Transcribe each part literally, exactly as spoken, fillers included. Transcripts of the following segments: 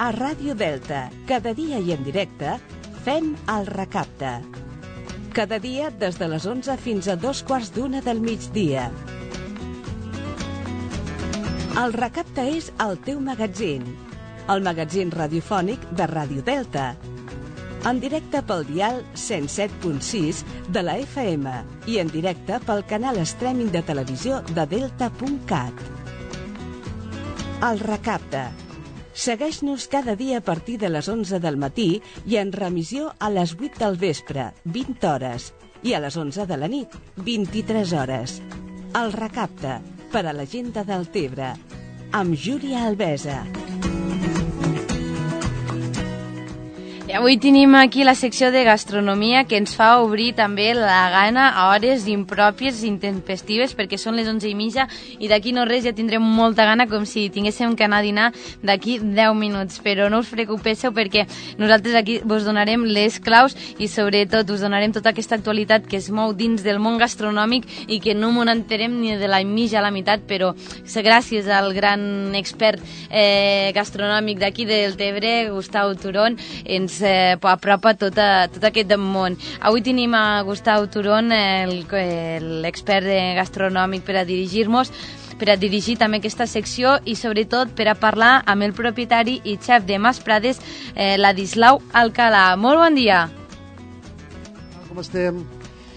A Ràdio Delta, cada dia i en directe, fem el Recapte. Cada dia des de les onze fins a dos quarts d'una del migdia. El Recapte és el teu magatzin, el magatzin radiofònic de Ràdio Delta. En directe pel dial cent set punt sis de la F M i en directe pel canal streaming de televisió de delta punt cat. El Recapte. Segueix-nos cada dia a partir de les onze del matí i en remissió a les vuit del vespre, vint hores, i a les onze de la nit, vint-i-tres hores. El Recapte, per a la gent de Deltebre, amb Júlia Albesa. I avui tenim aquí la secció de gastronomia que ens fa obrir també la gana a hores impròpies, intempestives, perquè són les onze i mitja i d'aquí no res ja tindrem molta gana com si tinguéssim que anar a dinar d'aquí deu minuts. Però no us preocupéssiu perquè nosaltres aquí vos donarem les claus i sobretot us donarem tota aquesta actualitat que es mou dins del món gastronòmic i que no m'ho enterem ni de la mitja a la meitat, però gràcies al gran expert eh, gastronòmic d'aquí del Tebre, Gustau Turón, ens Eh, apropa tot, a, tot aquest món. Avui tenim a Gustau Turón, l'expert gastronòmic, per a dirigir-nos, per a dirigir també aquesta secció i sobretot per a parlar amb el propietari i xef de Mas Prades, eh, Ladislau Alcalà. Molt bon dia. Com estem?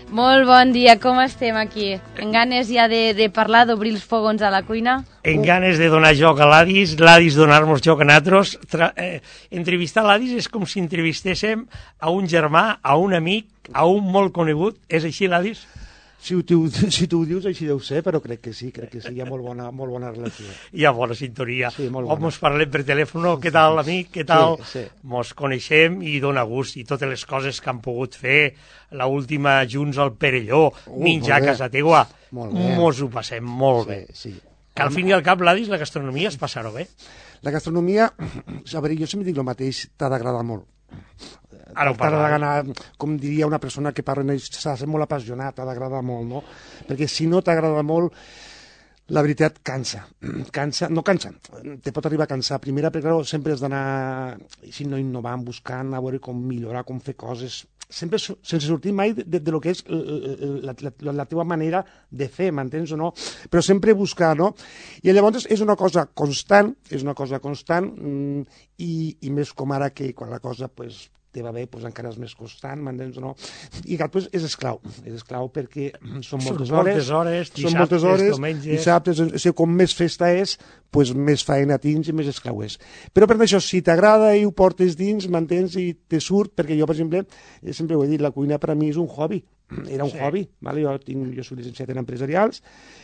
Molt bon dia, com estem aquí? En ganes ja de, de parlar, d'obrir els fogons a la cuina? En ganes de donar joc a l'Adis, l'Adis donar-nos joc a nosaltres. Eh, entrevistar l'Adis és com si entrevistéssim a un germà, a un amic, a un molt conegut. És així, l'Adis? Si tu, si tu ho dius, així deu ser, però crec que sí, crec que sí, hi ha molt bona, molt bona relació. Hi ha bona sintonia. Sí, molt bona. O mos parlem per telèfon, què tal, amic, què tal? Sí, sí. Mos coneixem i dona gust, i totes les coses que han pogut fer, la última junts al Perelló, uh, menjar a casa teua, mos ho passem molt sí, bé. Sí. Que al fin i al cap, l'Adis, la gastronomia es passar-ho bé. La gastronomia, a veure, jo sempre dic el mateix, t'ha d'agradar molt. Ara ho t'ha d'agradar, com diria una persona que parla, s'ha de ser molt apassionat, t'ha d'agradar molt, no? Perquè si no t'agrada molt, la veritat cansa, cansa, no cansa, te pot arribar a cansar. Primera, perquè clar, sempre has d'anar, si no innovant, buscant, a veure com millorar, com fer coses, sempre sense sortir mai de, de, de lo que és la, la, la teva manera de fer, m'entens o no? Però sempre buscar, no? I llavors és una cosa constant, és una cosa constant, i, i més com ara que quan la cosa, pues, te va bé, doncs encara és més constant, m'entens o no? I clar, doncs és esclau, és esclau perquè són moltes hores, moltes hores, són moltes hores, diumenges... dissabtes, o sigui, com més festa és, doncs més feina tens i més esclau és. Però per això, si t'agrada i ho portes dins, m'entens, i te surt, perquè jo, per exemple, sempre ho he dit, la cuina per a mi és un hobby, era un sí. hobby, vale? jo, tinc, jo soc llicenciat en empresarials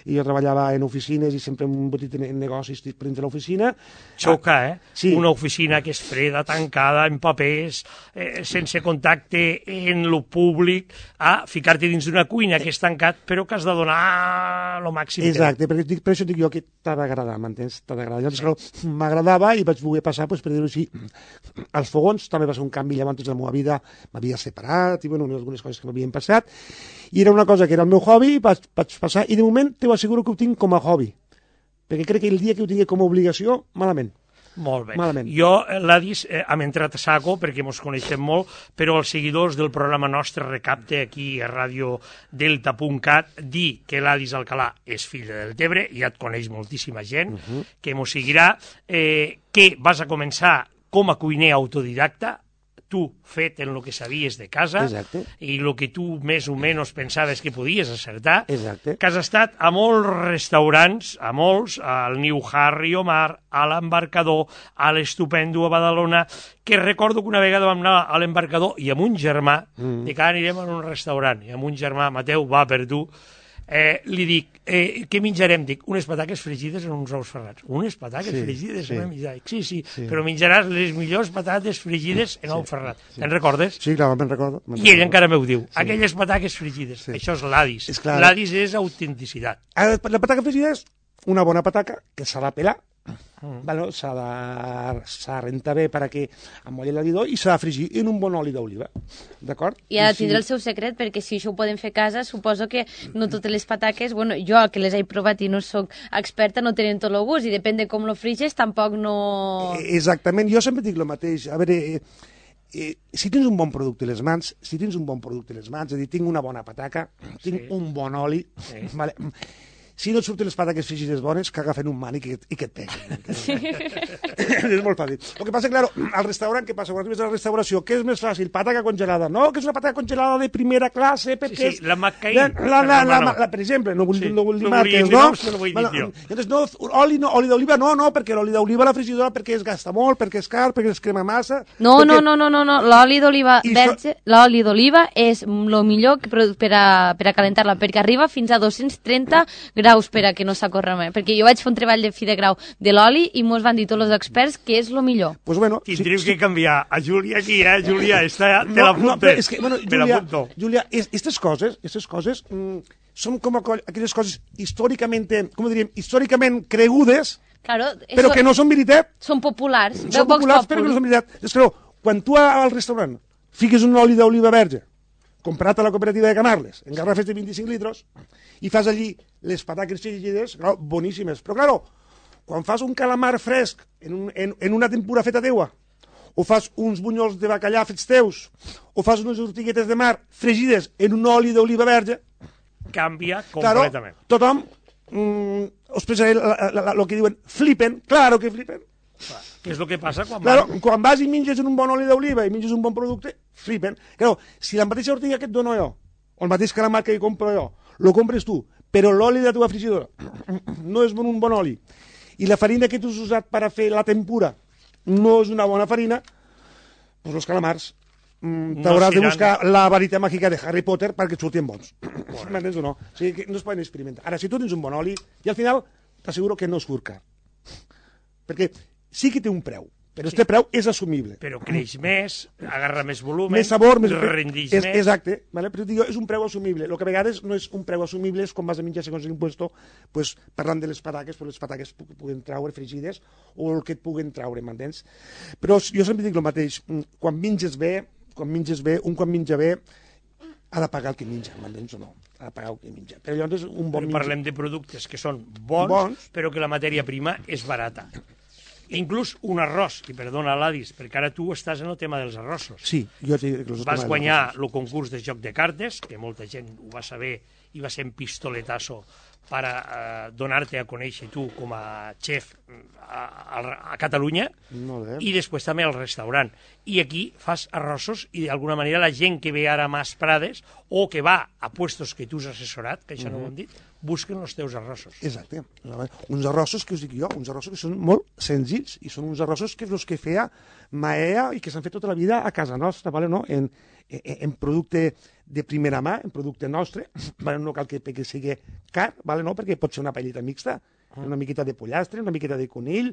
i jo treballava en oficines i sempre en un petit negoci estic dins de l'oficina. Xoca, eh? Sí. Una oficina que és freda, tancada, en papers, eh, sense contacte en lo públic, a ficar-te dins d'una cuina que és tancat, però que has de donar lo màxim. Exacte, perquè dic, per això dic jo que t'ha d'agradar, m'entens? T'ha d'agradar. Llavors, sí. m'agradava i vaig voler passar, pues, per dir-ho així, als fogons. També va ser un canvi, llavors de la meva vida m'havia separat i bueno, algunes coses que m'havien passat. I era una cosa que era el meu hobby, vaig, vaig passar, i de moment t'ho asseguro que ho tinc com a hobby, perquè crec que el dia que ho tingui com a obligació, malament. Molt bé. Malament. Jo, l'Adis, eh, hem entrat a saco perquè ens coneixem molt, però els seguidors del programa nostre Recapte aquí a ràdio delta punt cat dir que l'Adis Alcalà és fill de Deltebre, ja et coneix moltíssima gent, uh -huh. que ens seguirà, eh, que vas a començar com a cuiner autodidacta, tu fet en el que sabies de casa. Exacte. I el que tu més o menys pensaves que podies acertar. Exacte. Que has estat a molts restaurants, a molts, al New Harry Omar, a l'Embarcador, a l'Estupendo a Badalona, que recordo que una vegada vam anar a l'Embarcador i amb un germà, mm. de que anirem a un restaurant, i amb un germà, Mateu, va per tu, eh, li dic, eh, què menjarem? Dic, unes pataques fregides en uns ous ferrats. Unes pataques sí, fregides sí. en una mitjana. Sí, sí, sí, però menjaràs les millors patates fregides en sí, ou ferrat. Sí. Te'n recordes? Sí, clar, me'n recordo. I ell recordo. Encara m'ho diu. Sí. Aquelles pataques fregides. Sí. Això és l'Adis. L'Adis és autenticitat. La pataca fregida és una bona pataca que s'ha de pelar, Mm. Bueno, s'ha de, s'ha de rentar bé perquè amolli l'alidor i s'ha de fregir en un bon oli d'oliva, d'acord? I ha de si... tindre el seu secret, perquè si això ho podem fer a casa, suposo que no totes les pataques, bueno, jo que les he provat i no soc experta, no tenen tot el gust, i depèn de com lo friges, tampoc no... Exactament, jo sempre dic el mateix. A veure, eh, eh, si tens un bon producte a les mans, si tens un bon producte a les mans, és a dir, tinc una bona pataca, tinc sí. un bon oli, sí. Vale, si no et surten les pataques frigides bones, que agafen un mànic i, i que et peguen. Sí. És molt fàcil. El que passa, claro, al restaurant, què passa? Quan arribes a la restauració, què és més fàcil? Pataca congelada. No, que és una pataca congelada de primera classe, perquè sí, sí, la McCain. La, la, la, la, la, per exemple, no vull, sí. no vull dir no marques, no? No, no vull dir bueno, llavors, no, oli, no, oli d'oliva, no, no, perquè l'oli d'oliva a la frigidora perquè es gasta molt, perquè és car, perquè es crema massa... No, perquè... no, no, no, no, no. L'oli d'oliva verge, so... l'oli d'oliva és el millor per, per, a, per a calentar-la, perquè arriba fins a dos-cents trenta graus per a que no s'acorre més. Perquè jo vaig fer un treball de fi de grau de l'oli i mos van dir tots els experts que és el millor. Pues bueno, tindríeu sí, que sí. canviar a Júlia aquí, eh? Júlia, esta, te no, l'apunto. No, és que, bueno, Júlia, me Júlia, aquestes coses, aquestes coses mm, són com aquelles coses històricament, com diríem, històricament cregudes, claro, però que no són veritat. Són populars. Són populars, però que no són veritat. És que, quan tu al restaurant fiques un oli d'oliva verge, comprat a la cooperativa de Camarles, en garrafes de vint-i-cinc litros, i fas allí les pataques fregides, clar, boníssimes. Però, clar, quan fas un calamar fresc en, un, en, en una tempura feta teua, o fas uns bunyols de bacallà fets teus, o fas unes ortiguetes de mar fregides en un oli d'oliva verge, canvia completament. Claro, tothom, mm, us pensaré el que diuen, flipen, claro que flipen. Clar, què és el que passa quan claro, van... quan vas i menges en un bon oli d'oliva i menges un bon producte, flipen. Claro, si la mateixa ortiga que et dono jo, o el mateix calamar que compro jo, lo compres tu, però l'oli de la teva frigidora no és un bon oli, i la farina que tu has usat per a fer la tempura no és una bona farina, doncs els calamars mm, t'hauràs no de buscar la varita màgica de Harry Potter perquè et surtin bons. M'entens o no? O sigui que no es poden experimentar. Ara, si tu tens un bon oli, i al final t'asseguro que no es surt car. Perquè sí que té un preu, però este sí. preu és assumible. Però creix més, agarra més volum, més sabor, més rendix és, més. Exacte, vale? Però dic, és un preu assumible. El que a vegades no és un preu assumible és quan vas a menjar segons l'impuesto, pues, parlant de les pataques, però les pataques que puguen traure fregides o el que et puguen traure, m'entens? Però jo sempre dic el mateix, quan menges bé, quan menges bé, un quan menja bé, ha de pagar el que menja, m'entens o no? Ha de pagar el que menja. Però llavors un bon però menja... parlem de productes que són bons, bons, però que la matèria prima és barata. Inclús un arròs, i perdona l'Adis, perquè ara tu estàs en el tema dels arrossos. Sí, jo sí, que vas guanyar el concurs de joc de cartes, que molta gent ho va saber i va ser un pistoletazo per a, uh, donar-te a conèixer tu com a xef a, a, a Catalunya, i després també al restaurant. I aquí fas arrossos i d'alguna manera la gent que ve ara a Mas Prades o que va a puestos que tu has assessorat, que això uh-huh. no ho hem dit, busquen els teus arrossos. Exacte. Uns arrossos que us dic jo, uns arrossos que són molt senzills i són uns arrossos que els que feia Maea i que s'han fet tota la vida a casa nostra, vale? No? en, en, en producte de primera mà, en producte nostre, vale? No cal que, que sigui car, vale? No? Perquè pot ser una paellita mixta, una miqueta de pollastre, una miqueta de conill,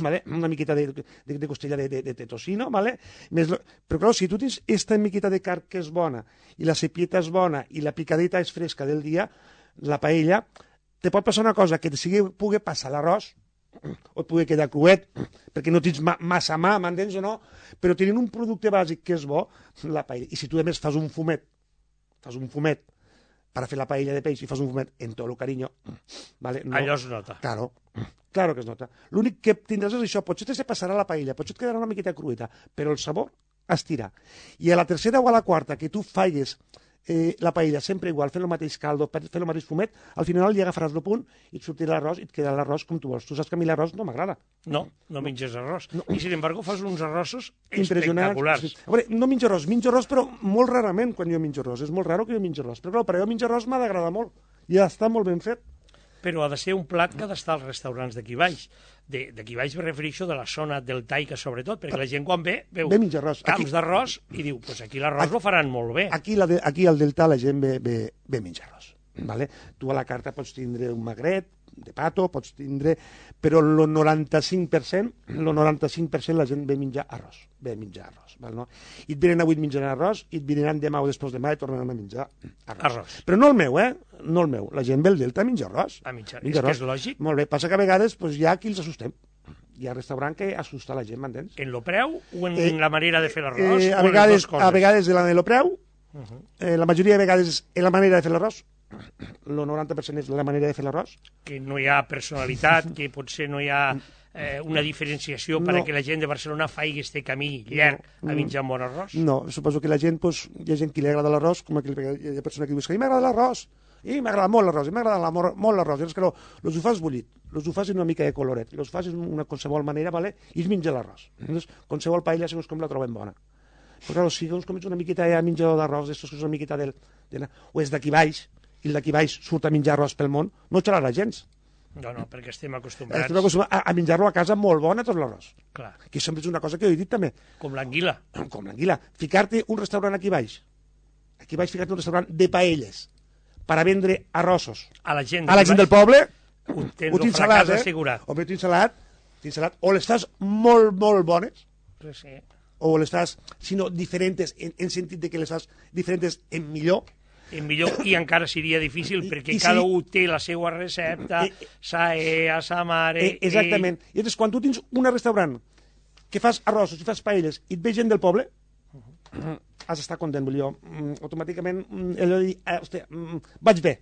vale? Una miqueta de, de, de costella de, de, de tocino, vale? Més, però clar, si tu tens esta miqueta de carn que és bona, i la cepieta és bona, i la picadita és fresca del dia, la paella, te pot passar una cosa, que te sigui, pugui passar l'arròs, o et pugui quedar cruet, perquè no tens ma massa mà, m'entens o no? Però tenint un producte bàsic que és bo, la paella. I si tu, a més, fas un fumet, fas un fumet per a fer la paella de peix i fas un fumet en tot el carinyo, vale? No, allò es nota. Claro, claro que es nota. L'únic que tindràs és això, potser te se passarà la paella, potser et quedarà una miqueta crueta, però el sabor estirà. I a la tercera o a la quarta que tu faigues Eh, la paella sempre igual, fent el mateix caldo, fent el mateix fumet, al final li agafaràs el punt i et sortirà l'arròs i et quedarà l'arròs com tu vols. Tu saps que a mi l'arròs no m'agrada. No, no menges arròs. No. I, sin embargo, fas uns arrossos impressionants. Espectaculars. A veure, no menjo arròs, menjo arròs, però molt rarament quan jo menjo arròs. És molt raro que jo menjo arròs. Però clar, per jo menjo arròs m'ha d'agradar molt. I ja està molt ben fet. Però ha de ser un plat que ha d'estar als restaurants d'aquí baix. D'aquí baix me refereixo de la zona del Taica, sobretot, perquè la gent quan ve, veu ve arròs. Camps d'arròs i diu, pues aquí l'arròs lo faran molt bé. Aquí, la de, aquí al Delta la gent ve, ve, ve menjar arròs. Vale? Tu a la carta pots tindre un magret, de pato, pots tindre, però el noranta-cinc per cent, el noranta-cinc per cent la gent ve a menjar arròs, ve a menjar arròs, val, no? I et venen avui menjant arròs, i et venen demà o després demà i tornaran a menjar arròs. Arròs. Però no el meu, eh? No el meu. La gent ve al Delta a menjar arròs. A menjar, Menja és que arròs. és lògic. Molt bé, passa que a vegades pues, hi ha qui els assustem. Hi ha restaurant que assusta la gent, m'entens? En lo preu o en Eh, la manera de fer l'arròs? Eh, o a, en les vegades, dues coses? a vegades en el preu, Uh -huh. eh, la majoria de vegades en la manera de fer l'arròs, el noranta per cent és la manera de fer l'arròs. Que no hi ha personalitat, que potser no hi ha eh, una diferenciació no. perquè la gent de Barcelona faci este camí llarg no. a menjar un bon arròs? No, suposo que la gent, pues, hi ha gent que li agrada l'arròs, com aquell, hi ha persona que diu que a mi m'agrada l'arròs, i m'agrada molt l'arròs, i m'agrada la, molt l'arròs, i és que no, los ho fas bullit, los ho fas en una mica de coloret, los fas en una qualsevol manera, vale? I es menja l'arròs. Llavors, qualsevol paella, segons com la trobem bona. Però, clar, si doncs, com ets una miqueta de menjador d'arròs, d'estos que és una miqueta del... De, o és d'aquí baix, i el d'aquí baix surt a menjar arròs pel món, no xalarà gens. No, no, perquè estem acostumbrats. Estem acostumbrats a, a menjar-lo a casa molt bona, tot l'arròs. Clar. Que sempre és una cosa que he dit també. Com l'anguila. Com l'anguila. Ficar-te un restaurant aquí baix, aquí baix ficar-te un restaurant de paelles, per a vendre arrossos A la gent, a la gent del poble, ho tens ho el tens fracàs salat, eh? assegurat. Home, tens salat, tens salat, o les fas molt, molt bones, Pues sí. o les fas, sinó diferents, en, en sentit de que les fas diferents en millor. En millor, i encara seria difícil, I- perquè i cada sí. un té la seva recepta, Eh, sa ea, sa mare... Eh, exactament. I llavors, quan tu tens un restaurant que fas arrossos i fas paelles i et ve gent del poble, has d'estar content, vull dir jo. Mm, automàticament, mm, allò de dir, eh, hòstia, mm, vaig bé,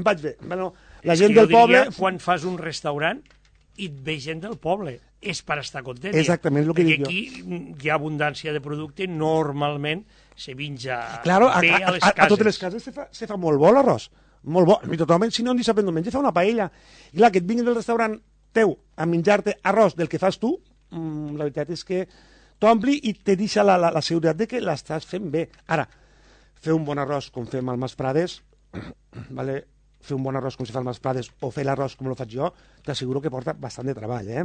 vaig bé. Bueno, la És gent que jo del poble... diria, quan fas un restaurant i et ve gent del poble, és per estar content. Exactament, és el que perquè dic jo. aquí mm, hi ha abundància de producte, normalment se menja Claro, a, bé a, a les a, cases. a totes les cases se fa, se fa molt bo l'arròs, molt bo. I totalment, si no, en dissabte no menja, fa una paella. I clar, que et vinguin del restaurant teu a menjar-te arròs del que fas tu, mmm, la veritat és que t'ompli i te deixa la, la, la seguretat de que l'estàs fent bé. Ara, fer un bon arròs com fem al Mas Prades, vale? Fer un bon arròs com si fa al Mas Prades o fer l'arròs com lo faig jo, t'asseguro que porta bastant de treball, eh?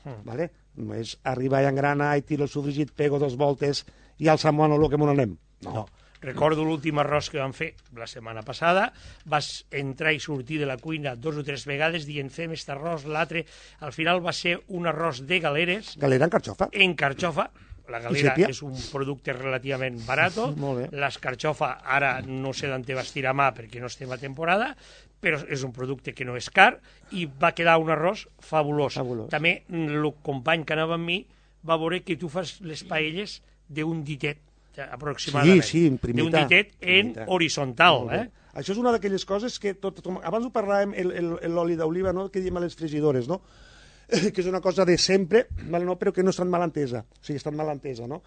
Mm. Vale? No és arribar i engrana i tiro el sofregit, pego dos voltes i al salmón o lo que m'ho anem. No. No. Recordo l'últim arròs que vam fer la setmana passada, vas entrar i sortir de la cuina dos o tres vegades dient fem este arròs, l'altre, al final va ser un arròs de galeres Galera en carxofa. en carxofa. La galera sèpia. és un producte relativament barato, Molt bé. l'escarxofa ara no sé d'on te vas tirar mà perquè no estem a temporada, però és un producte que no és car i va quedar un arròs fabulós. Fabulós. També el company que anava amb mi va veure que tu fas les paelles d'un ditet aproximadament. Sí, sí, en primita. D'un ditet en Primita. horitzontal, Molt bé. eh? Això és una d'aquelles coses que, tot, com, abans ho parlàvem, el- el- l'oli d'oliva, no? Que diem a les fregidores, no? Que és una cosa de sempre, vale, no? Però que no està mal entesa. O sigui, està mal entesa, no?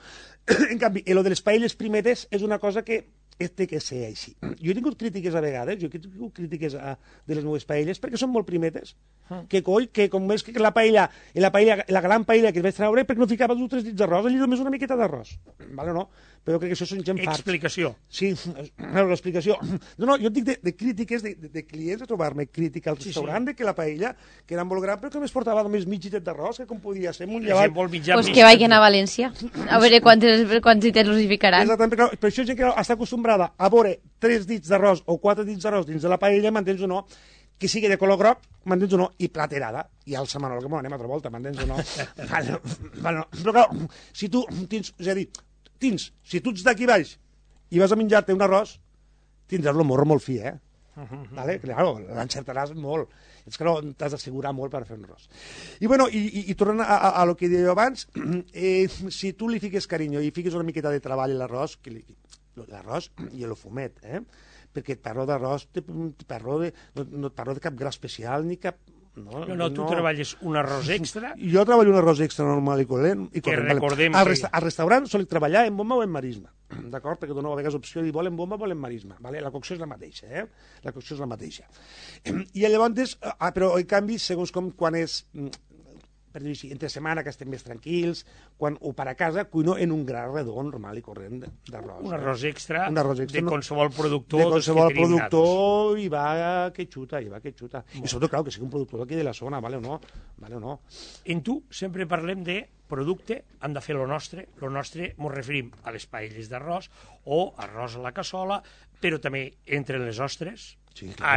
En canvi, el de les paelles primeres és una cosa que té que ser així. Jo he tingut crítiques a vegades, jo he tingut crítiques a, de les meves paelles, perquè són molt primetes. Que coi, que com és que la paella, la paella, la gran paella que es vaig treure, perquè no ficava dos o tres dits d'arròs, allí només una miqueta d'arròs. Vale, no? Però jo crec que això són gent farts. Explicació. Sí, l'explicació. No, no, jo et dic de, de crítiques, de, de, de clients, de trobar-me crítica al Sí, restaurant, sí. de que la paella, que era molt gran, però que només portava només mig gitet d'arròs, que com podia ser, un La llevat. gent vol menjar Pues més que vagin a València, a veure quantes, quants dites los hi ficaran. Exactament, però, però això és gent que està acostumbrada a veure tres dits d'arròs o quatre dits d'arròs dins de la paella, m'entens o no, que sigui de color groc, m'entens o no, i platerada, i al semanol, que m'ho anem altra volta, m'entens o no. vale, vale, però clar, si tu tens, és a dir, tens, si tu ets d'aquí baix i vas a menjar-te un arròs, tindràs el morro molt fi, eh? Vale? Claro, l'encertaràs molt. És que no, t'has d'assegurar molt per fer un arròs. I, bueno, i, i, i tornant a, a, a lo que deia abans, eh, si tu li fiques carinyo i fiques una miqueta de treball a l'arròs, que li, l'arròs i el fumet, eh? Perquè et parlo d'arròs, te, te parlo de, no, no et parlo de cap gra especial ni cap... No, No, no, tu treballes un arròs extra Jo treballo un arròs extra normal i corrent. I Que corrent, vale. recordem al, que- resta al restaurant sol treballar en bomba o en marisma, d'acord? Perquè dono a vegades opció de volen bomba o volen marisma, vale? La cocció és la mateixa, eh? La cocció és la mateixa. I llavors, ah, però en canvi, segons com quan és, per dir-ho així, entre setmana que estem més tranquils, quan ho per a casa, cuino en un gra redó normal i corrent d'arròs. un arròs extra, Un arròs extra, de no? qualsevol productor de dels qualsevol que tenim productor i va que xuta, i va que xuta. I sobretot, clar, que sigui un productor d'aquí de la zona, vale o no? Vale o no? En tu sempre parlem de producte, hem de fer lo nostre, lo nostre ens referim a les paelles d'arròs o arròs a la cassola, però també entre les ostres, Sí, clar.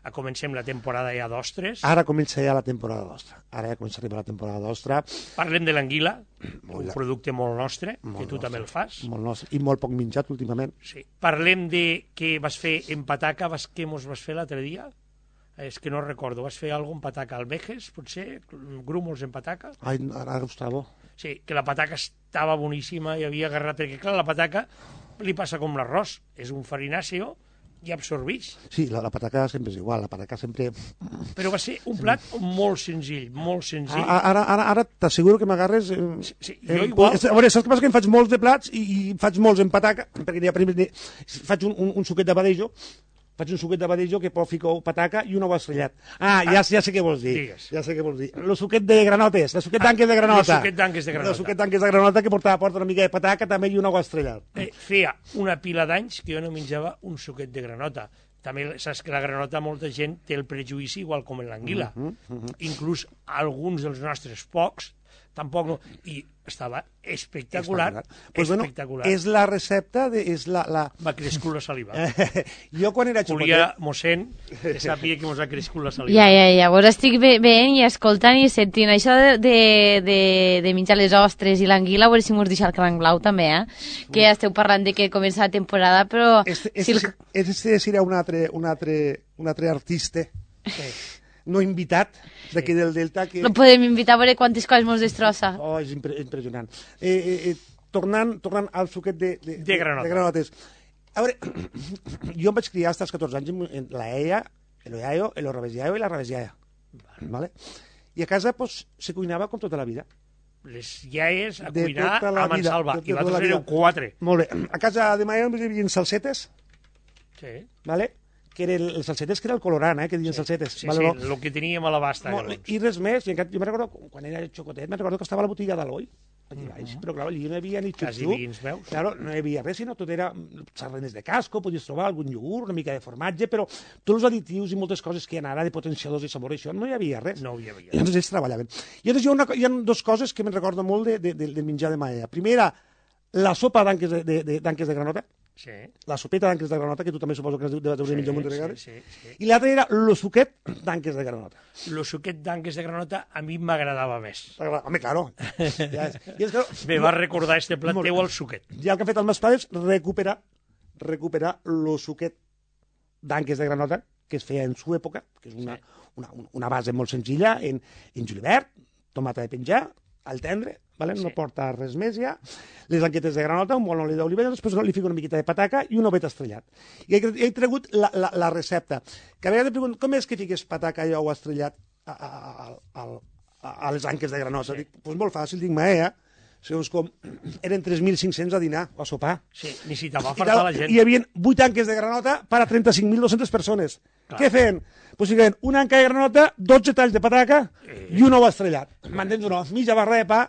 Ara comencem la temporada ja d'ostres. Ara comença ja la temporada d'ostra. Ara ja comença a arribar la temporada d'ostra. Parlem de l'anguila, un Molt producte molt nostre, molt que tu nostre. també el fas. Molt nostre. I molt poc menjat últimament. Sí. Parlem de què vas fer en pataca, vas, què mos vas fer l'altre dia? És que no recordo, vas fer alguna en pataca al Vejes, potser? Grúmols en pataca? Ai, ara està bo. Sí, que la pataca estava boníssima i havia agarrat, perquè clar, la pataca li passa com l'arròs, és un farinàceo i absorbix. Sí, la, la pataca sempre és igual, la pataca sempre... Però va ser un plat molt senzill, molt senzill. A- Ara, ara, ara t'asseguro que m'agarres... Eh, Sí, sí, eh, jo igual. A veure, saps què passa? Que em faig molts de plats i, i faig molts en pataca, perquè n'hi ha primer, n'hi- faig un, un, un suquet de badejo, faig un suquet de badejo que pot ficar pataca i un ou estrellat. Ah, ja, ja sé què vols dir. Digues. Ja sé què vols dir. El suquet de granotes, el suquet d'anques de granota. el suquet d'anques de granota. El suquet d'anques de granota que porta, porta una mica de pataca també i un ou estrellat. Eh, feia una pila d'anys que jo no menjava un suquet de granota. També saps que la granota molta gent té el prejudici igual com en l'anguila. Uh -huh, uh -huh. Inclús alguns dels nostres pocs tampoc no. I estava espectacular. Pues espectacular. Bueno, és la recepta, de, és la... la... M'ha crescut la saliva. jo quan era xocotet... Julià mossèn, que sàpiga que mos ha crescut la saliva. Ja, ja, ja, vos estic ve- veient i escoltant i sentint això de, de, de, de menjar les ostres i l'anguila, a veure si mos deixa el cranc blau també, eh? Que ja esteu parlant de que comença la temporada, però... Este, si este, el... este serà un altre, un altre, un altre artista no invitat d'aquí del Delta que... No podem invitar a veure quantes coses mos destrossa. Oh, és impre impressionant. Eh, eh, eh, tornant, tornant al suquet de, de, De granota. de granotes. A veure, jo em vaig criar fins als catorze anys en la iaia, el iaio, el rabesiaio i la rabesiaia. Vale? I a casa pues, se cuinava com tota la vida. Les iaies a De cuinar tota la a vida, mansalva. de I tota la vosaltres vida. éreu quatre. Molt bé. A casa de ma iaia hi havia salsetes, Sí, vale? que eren els salsetes que era el colorant, eh, que diuen salsetes. sí, vale, sí, no? el que teníem a l'abasta. Molt, llavors. I res més, i encara, jo me'n recordo, quan era xocotet, me'n recordo que estava a la botiga d'Aloi, aquí baix, però clar, allí no hi havia ni Quasi xup-xup, vins, veus? claro, no hi havia res, sinó tot era sarrenes de casco, podies trobar algun iogurt, una mica de formatge, però tots els additius i moltes coses que hi ha ara de potenciadors i sabor, això no hi havia res. No hi havia. I llavors ells treballaven. I llavors hi ha, una, hi ha dues coses que me'n recordo molt de, de, de, de menjar de maia. Primera, la sopa d'anques de, de, de, d'anques de granota, Sí, la sopeta d'anques de granota, que tu també suposo que has de sí, menjar un munt de sí, vegades. sí, sí. I l'altra era el suquet d'anques de granota. El suquet d'anques de granota a mi m'agradava més. Home, claro. Ja és. I és que, Me va recordar este plat Molt teu bé. al suquet. ja el que han fet els meus pares, recuperar, recuperar el suquet d'anques de granota, que es feia en su època, que és una, una, una base molt senzilla, en, en julivert, tomata de penjar, al tendre, vale? No Sí. porta res més ja, les anquetes de granota, un bon oli d'olivella, després li fico una miqueta de pataca i un ovet estrellat. I he, he tregut la, la, la recepta, que a vegades em pregunto, com és que fiques pataca i ou estrellat a, a, a, a, a, a les anques de granota? Sí. Dic, pues molt fàcil, dic, maea, segons com, eren tres mil cinc-cents a dinar, o a sopar. Sí, necessitava I, fartar tal, la gent. hi havia vuit anques de granota per a trenta-cinc mil dos-centes persones. Clar. Què feien? Pues ficaven una anca de granota, dotze talls de pataca eh. i un ou estrellat. M'entens o no? Mitja barra de pa,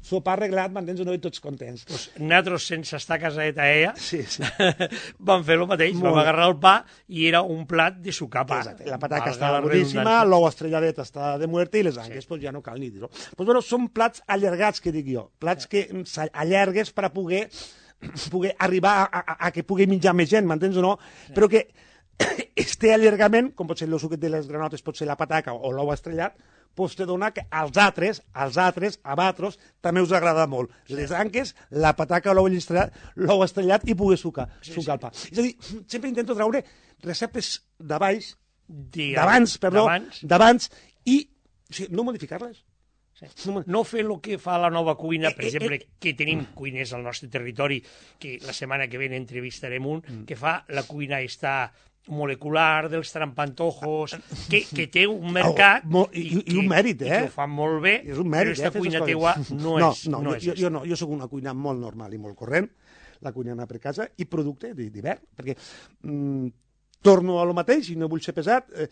sopar arreglat, m'entens o no? I tots contents. Pues nosaltres, sense estar casat a ella, Sí, sí. vam fer el mateix. Molt Vam bé. agarrar el pa i era un plat de sucar pa. Exacte. La pataca Valga està la boníssima, redundància. l'ou estrelladet està de muerte i les anques, sí. Pues ja no cal ni dir-ho. Pues bueno, són plats allargats, que dic jo. Plats que s'allargues per a poder, poder arribar a, a, a que pugui menjar més gent, m'entens o no? Sí. Però que este allargament, com pot ser el suquet de les granotes, pot ser la pataca o l'ou estrellat, pues te dona que als altres, als altres, a vosaltres, també us agrada molt. Sí. Les anques, la pataca o l'ou estrellat, l'ou estrellat i poder sucar, Sí, sucar sí. el pa. És a dir, sempre intento treure receptes de baix, Digue'm, d'abans, perdó, d'abans. d'abans, i o sigui, no modificar-les. Sí. No, No fer el que fa la nova cuina, per Eh, eh, exemple, eh. que tenim cuiners al nostre territori, que la setmana que ve entrevistarem un, Mm. que fa la cuina està molecular, dels trampantojos, que, que té un mercat... Oh, mo- i- i que- un mèrit, eh? I que ho fan molt bé, és un mèrit, però eh, aquesta fer cuina aquestes teua coses. no, no, és, no, no jo, és jo, aquesta. jo no, jo sóc una cuina molt normal i molt corrent, la cuina anar per casa, i producte d'hi- d'hivern, perquè mm, torno a lo mateix, i no vull ser pesat, eh,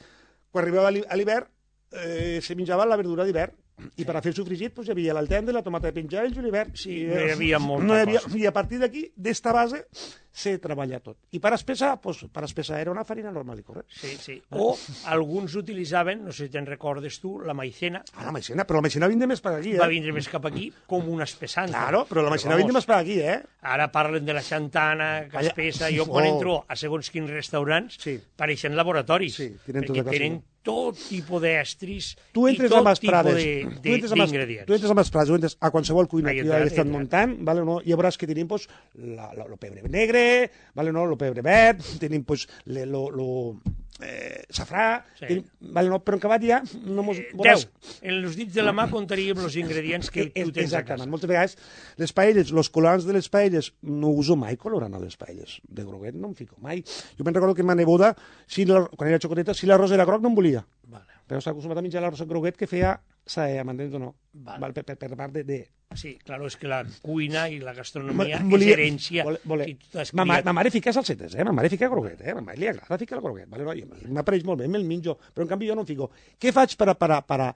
quan arribava a l'hi- a l'hivern, eh, se menjava la verdura d'hivern, i per a fer el sofregit pues, hi havia l'altendre, la tomata de penjar i el julivert. Sí, I, no hi havia molta no hi havia, cosa. I a partir d'aquí, d'esta base, se treballa tot. I per espessar, pues, per espessar era una farina normal i correcte. Sí, sí. O alguns utilitzaven, no sé si te'n recordes tu, la maicena. Ah, la maicena, però la maicena vindre més per aquí, eh? Va vindre més cap aquí com una espessanta. Claro, però la maicena vindre més per aquí, eh? Ara parlen de la xantana, que espessa. Jo quan Oh. entro a segons quins restaurants, Sí. pareixen laboratoris, Sí, tenen tota perquè classe. tenen tot tipus d'estris Tu i entres tot a Mas tipus Prades, de- tu de- entres a Mas- d'ingredients. tu entres a Mas Prades, o entres a qualsevol cuina Ahí que entrar, he ahí estat entrar. muntant, vale, no? I ja veuràs que tenim pues, la, la, lo pebre negre, vale, no? Lo pebre verd, tenim pues, le, lo, lo eh, safrà, Sí. tenim, vale, no? Però en acabat ja no mos, Eh, veuràs... Deu. En els dits de la mà contaríem els ingredients que Eh, tu tens a Exactament. casa. Moltes vegades les paelles, els colorants de les paelles, no uso mai colorant a les paelles. De groguet no em fico mai. Jo me'n recordo que ma neboda, si la, quan era xocoteta, si l'arròs era groc no en volia. Vale. Però s'ha acostumat a menjar l'arròs groguet que feia saea, m'entens o no? Vale. Val, per, per, per part de... de... Sí, claro, és que la cuina i la gastronomia Volia- és herència. vole- vole- I tu t'has Ma, ma, criat. ma mare fica salsetes, eh? Ma mare fica groguet, eh? Ma mare li agrada ficar el groguet. Vale? No? I m'apareix molt bé, me'l menjo, però en canvi jo no em fico. Què faig per a, per a, per a,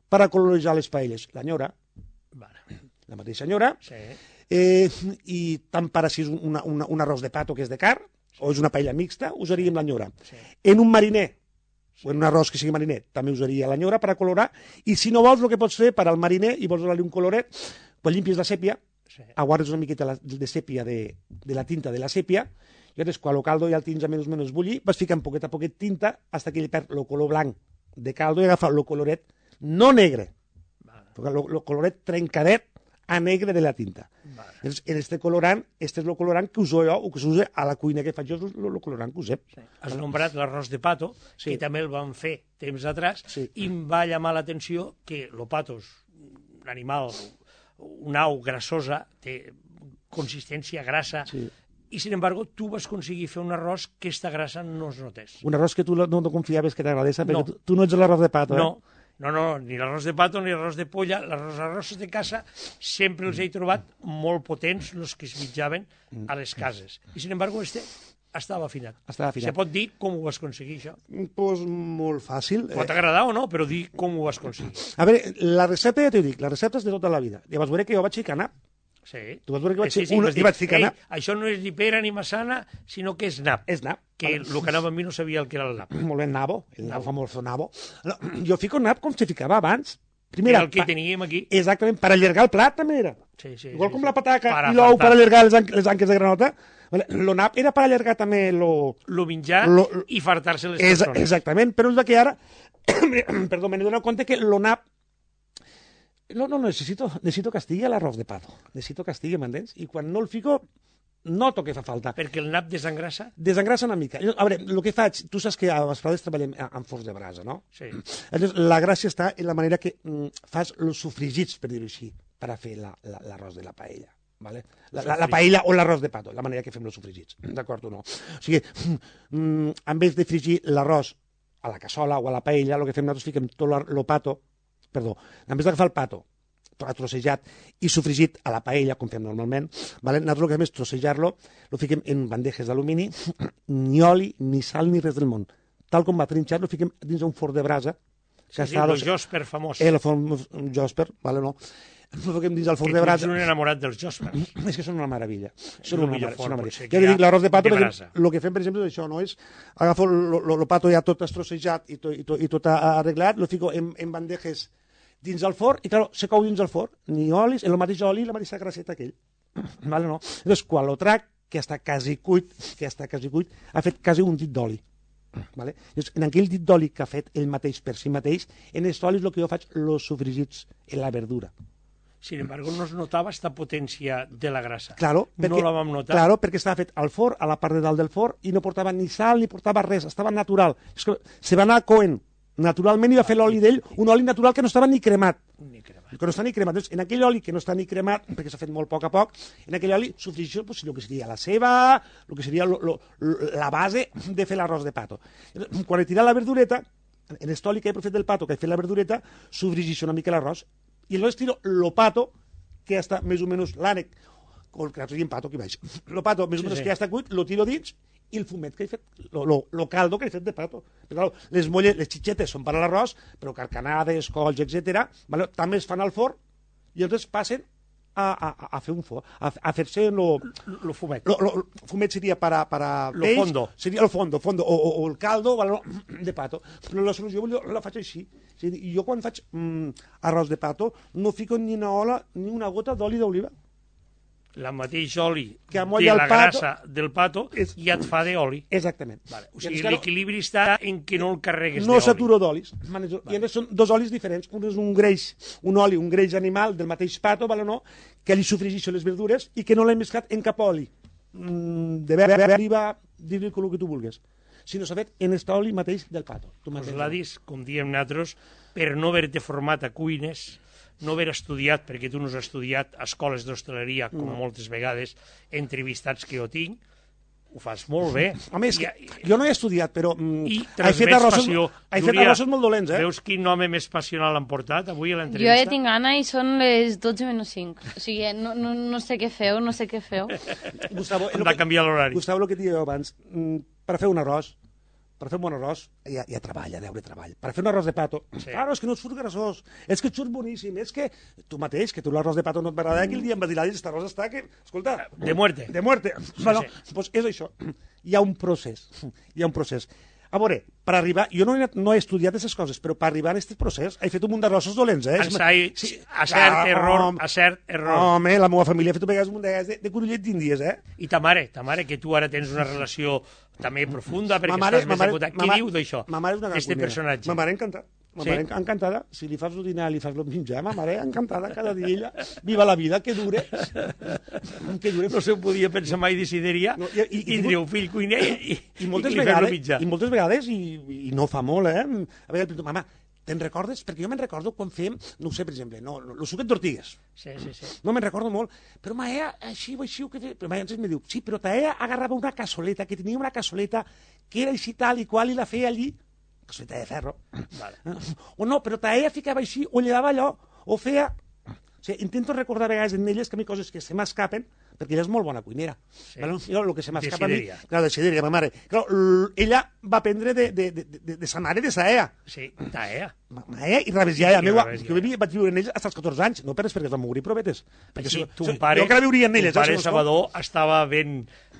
per a coloritzar les paelles? La nyora, Vale. la mateixa nyora, Sí. eh, i tant per a si és una, una, un arròs de pato que és de car, o és una paella mixta, usaríem la nyora. Sí. En un mariner, o en un arròs que sigui mariner, també usaria la nyora per a colorar, i si no vols, el que pots fer per al mariner, i vols donar-li un coloret, pues limpies la sèpia, Sí. aguardes una miqueta la, de sèpia, de, de la tinta de la sèpia, i llavors, quan el caldo ja el tens a menys o menys bullir, vas ficant poquet a poquet tinta, fins que ell perd el color blanc de caldo i agafa el coloret no negre, Vale. el coloret trencadet a negre de la tinta. Vale. Llavors, en este colorant, este és el colorant que uso jo, o que s'usa a la cuina que faig jo, és el, el colorant que usem. Sí. Has nombrat l'arròs de pato, Sí. que també el van fer temps atrás, Sí. i em va llamar l'atenció que el pato és un animal, una au grassosa, té consistència grassa, Sí. i, sin embargo, tu vas aconseguir fer un arròs que esta grassa no es notés. Un arròs que tu no, no confiaves que t'agradés, perquè No. tu, tu no ets l'arròs de pato, No, eh? no, no, ni l'arròs de pato ni l'arròs de polla. Els arrossos de casa sempre els he trobat molt potents, els que es mitjaven a les cases. I, sin embargo, este estava afinat. Estava afinat. Se pot dir com ho vas aconseguir, això. Pues molt fàcil. Pot agradar o no, però dir com ho vas aconseguir. A veure, la recepta ja t'ho dic, la recepta és de tota la vida. Llavors veuré que jo vaig ficar nap. Sí. Tu vas veure que vaig sí, fer sí, una- vas i dir, vaig ficar "Ei, nap." això no és ni pera ni massana, sinó que és nap. És nap. Que el que anava amb mi no sabia el que era el nap. Molt bé, nabo, el Nabo. nabo famoso nabo. No, jo fico nap com se ficava abans. Era Primera, el que pa- teníem aquí. exactament, per allargar el plat també era. Sí, sí, Igual sí, com sí. la pataca Per i l'ou per afartar. allargar les, an les anques de granota. Vale? Lo nap era per allargar també lo... Lo menjar Lo- lo- i fartar-se les És, persones. exactament, però és que ara, perdó, me n'he donat compte que lo nap no, no, necessito, necessito que estigui a l'arròs de pato. Necessito que estigui, m'entens? I quan no el fico, noto que fa falta. Perquè el nap desengrassa? Desengrassa una mica. Jo, a veure, el que faig, tu saps que a les Prades treballem amb forns de brasa, no? Sí. Llavors, la gràcia està en la manera que mm, fas els sofregits, per dir-ho així, per a fer la- la- l'arròs de la paella. Vale? La, la, la paella o l'arròs de pato, la manera que fem els sofregits, d'acord o no? O sigui, mm, en vez de fregir l'arròs a la cassola o a la paella, el que fem nosaltres fiquem tot el pato, perdó, en vez d'agafar el pato, trossejat i sofregit a la paella, com fem normalment, vale? Nosaltres el que fem és trossejar-lo, lo fiquem en bandejes d'alumini, ni oli, ni sal, ni res del món. Tal com va trinxat, lo fiquem dins d'un forn de brasa, que Sí, sí, està... el Josper famós. El forn Josper, vale, no? Lo fiquem dins del forn que de tu ets brasa. un enamorat dels Josper. És que són una meravella. Són El una, millor mar- forn, són una potser, meravella. que Ja hi te ha dic, l'arròs de pato, de perquè brasa. el que fem, per exemple, és això, no? És agafo el pato ja tot estrossejat i tot, i tot, i tot arreglat, lo fico en, en bandejes dins el forn, i clar, se cou dins el forn, ni olis, el mateix oli, la mateixa grasseta aquell. Vale, no? Llavors, quan lo trac, que està quasi cuit, que està quasi cuit, ha fet quasi un dit d'oli. Vale? Llavors, en aquell dit d'oli que ha fet ell mateix per si mateix, en aquest oli és el que jo faig los sofregits en la verdura. Sin embargo, no es notava esta potència de la grassa. Claro, perquè, no la vam notar. Claro, perquè estava fet al forn, a la part de dalt del forn, i no portava ni sal ni portava res, estava natural. És que se va anar coent naturalment i va fer l'oli d'ell, un oli natural que no estava ni cremat. Ni cremat. Que no està ni cremat. Doncs, en aquell oli que no està ni cremat, perquè s'ha fet molt a poc a poc, en aquell oli sofregeixo pues, el que seria la ceba, el que seria lo, lo, la base de fer l'arròs de pato. Quan he tirat la verdureta, en aquest oli que he fet del pato, que he fet la verdureta, sofregeixo una mica l'arròs, i llavors tiro lo pato, que ja està més o menys l'ànec, o el que nosaltres diem pato, aquí baix. Lo pato, més o Sí, menys sí. que ja està cuit, lo tiro dins, i el fumet que he fet, lo, lo, lo caldo que he fet de pato. Però, clar, les molles, les xitxetes són per a l'arròs, però carcanades, colls, etcètera, vale? També es fan al forn, i llavors passen a, a, a fer un fo, a, a fer-se lo, Lo fumet. lo, lo, fumet seria para, para Lo peix, fondo. seria el fondo, fondo o, o, o el caldo vale, de pato. Però la solució jo la faig així. O sigui, jo quan faig mm, arròs de pato no fico ni una ola ni una gota d'oli d'oliva. La mateix oli Que de amolla el la pato grassa del pato és- ja et fa d'oli. Exactament. Vale. O I sigui, llavors, clar, l'equilibri està en que no el carregues no d'oli. saturo d'olis. Vale. I a més són dos olis diferents. Un és un greix, un oli, un greix animal del mateix pato, vale, no? Que li sofregeixo les verdures i que no l'he mesclat en cap oli. Mm, de verd, oliva, dir-li el que tu vulguis. Si no s'ha fet en este oli mateix del pato. Tu Els mateix. ladis, com diem nosaltres, per no haver-te format a cuines, no haver estudiat, perquè tu no has estudiat a escoles d'hostaleria, com No. moltes vegades, entrevistats que jo tinc, ho fas molt bé. Home, és que I, jo no he estudiat, però mm, i he fet transmets arrossos, passió. he fet Júlia, arrossos molt dolents, eh? Veus quin home més passional han portat avui a Jo l'entrevista? ja tinc gana i són les dotze menys cinc. O sigui, no, no, no sé què feu, no sé què feu. Gustavo, Hem el de que- canviar l'horari. Gustavo, el que et deia abans, mm, per fer un arròs, per fer un bon arròs, hi ha, hi ha treball, hi ha deure treball. Per fer un arròs de pato, Sí. claro, és que no et surt grassós, és que et surt boníssim, és que tu mateix, que tu l'arròs de pato no et va agradar, aquell dia em vas dir, aquest arròs està que, escolta... De muerte. De muerte. Bueno, sí. pues és això. Hi ha un procés, hi ha un procés. A veure, per arribar... Jo no he, no he estudiat aquestes coses, però per arribar a aquest procés he fet un munt d'arrossos dolents, eh? Ensai, Sí, a cert clar, error, home, a cert error. Home, la meva família ha fet un vegades un munt de, de, de corollet d'índies, eh? I ta mare, ta mare, que tu ara tens una relació també profunda, perquè Ma mare- estàs ma més mare- acotat. ma Què mare- diu d'això, Ma mare és una gran d'este cuinera. personatge? Ma mare encantada. Ma Sí? mare enc- encantada. Si li fas el dinar, li fas el menjar, ma mare encantada cada dia. Ella, viva la vida, que dure. Que dure. No se podia pensar mai decidiria No, i- i- i- tindre un fill cuiner i, I moltes, i, i fer-lo vegades, mitjà. I moltes vegades, i, i no fa molt, eh? A veure, mama, te'n recordes? Perquè jo me'n recordo quan fèiem, no ho sé, per exemple, no, no, el suquet d'ortigues. Sí, sí, sí. No me'n recordo molt, però ma ea, així o així, o que fe... però ma ea em diu, sí, però ta ea agarrava una cassoleta, que tenia una cassoleta que era així tal i qual, i la feia allí, cassoleta de ferro. Vale. O no, però ta ea ficava així, o llevava allò, o feia... O sigui, intento recordar a vegades en elles que a mi coses que se m'escapen, perquè ella és molt bona cuinera. Sí. Bueno, jo, el que se m'escapa a mi... Desideria. Clar, de Sideria, ma mare. Clar, l- ella va aprendre de, de, de, de, de sa mare, de sa ea. Sí, ta ea. Ma, ma ea i rebés ja, ja I meua. rebés ja. Jo vivia, vaig viure en elles fins als catorze anys, no per res, perquè es van morir provetes. Perquè Sí, si- ton si- pare, jo que la viuria en elles, ton eh, pare si no Salvador estava ben,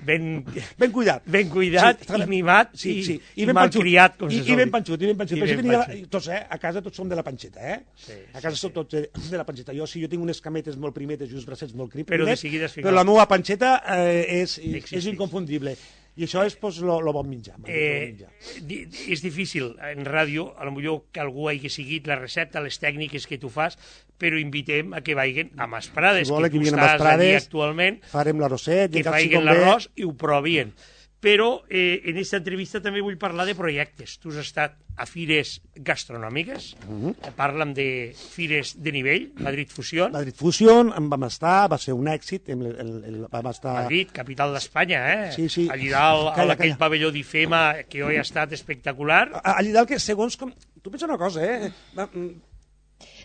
ben, ben cuidat. ben cuidat Sí, i mimat sí, i, sí. i, ben mal panxut. criat, com I, se I sol ben dir. panxut, i ben panxut. I Per això ben tenia, panxut. tots, eh? A casa tots som de la panxeta, eh? Sí, a casa sí, som tots de, de la panxeta. Jo sí, jo tinc unes cametes molt primetes i uns bracets molt crim, Però de primers, seguida es fica- però la meva panxeta eh, és, és Existeix. inconfundible. I això és pues, lo, lo bon menjar. lo bon Eh, menjar. di- és difícil en ràdio, a lo millor que algú hagi seguit la recepta, les tècniques que tu fas, però invitem a que vagin a Masprades, Si volen que que tu vinguin a estàs allí Masprades, actualment, Farem l'arrosset, i que en cap si faiguen convé- l'arròs i ho provien. Però eh, en aquesta entrevista també vull parlar de projectes. Tu has estat a fires gastronòmiques, Mhm. parla'm de fires de nivell, Madrid Fusió, Madrid Fusion, en vam estar, va ser un èxit, el, el, el, vam estar... Madrid, capital d'Espanya, eh? Sí, sí. Allí dalt, Calla, a aquell calla. pavelló d'IFEMA, que hoy ha estat espectacular. A- Allí dalt que segons com... Tu pensa una cosa, eh? Va, mm,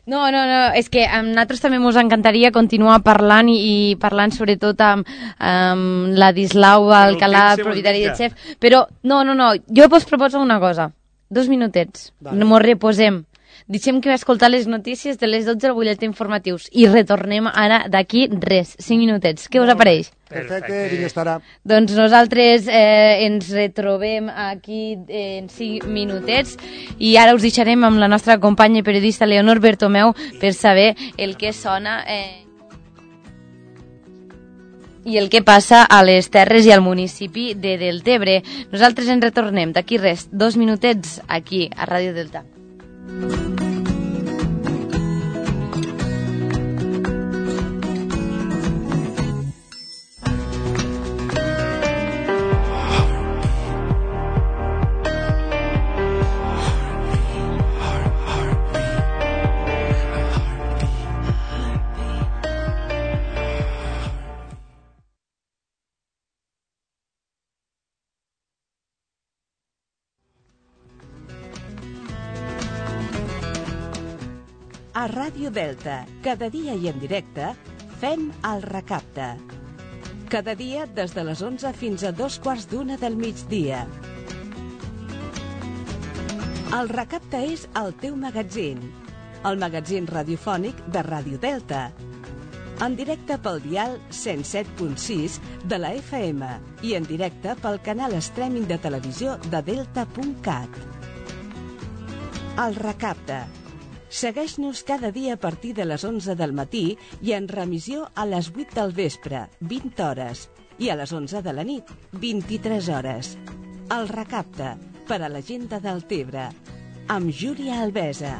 No, no, no, és que a nosaltres també ens encantaria continuar parlant i, i parlant sobretot amb, amb Ladislau Alcalà, temps se propietari de mos Chef, però no, no, no, jo vos proposo una cosa, dos minutets, Vale. no mos reposem, deixem que escoltar les notícies de les dotze al butlletí informatius i retornem ara d'aquí res, cinc minutets, què us apareix? perfecte, vinga, estarà. Doncs nosaltres eh, ens retrobem aquí en cinc minutets i ara us deixarem amb la nostra companya i periodista Leonor Bertomeu per saber el que sona eh, i el que passa a les terres i al municipi de Deltebre. Nosaltres ens retornem d'aquí res, dos minutets aquí a Ràdio Delta. A Ràdio Delta, cada dia i en directe, fem el recapte. Cada dia des de les onze fins a dos quarts d'una del migdia. El recapte és el teu magatzin, el magatzin radiofònic de Ràdio Delta. En directe pel dial cent set punt sis de la F M i en directe pel canal streaming de televisió de delta punt cat. El Recapte. Segueix-nos cada dia a partir de les onze del matí i en remissió a les vuit del vespre, vint hores, i a les onze de la nit, vint-i-tres hores. El Recapte, per a la gent de Deltebre, amb Júlia Albesa.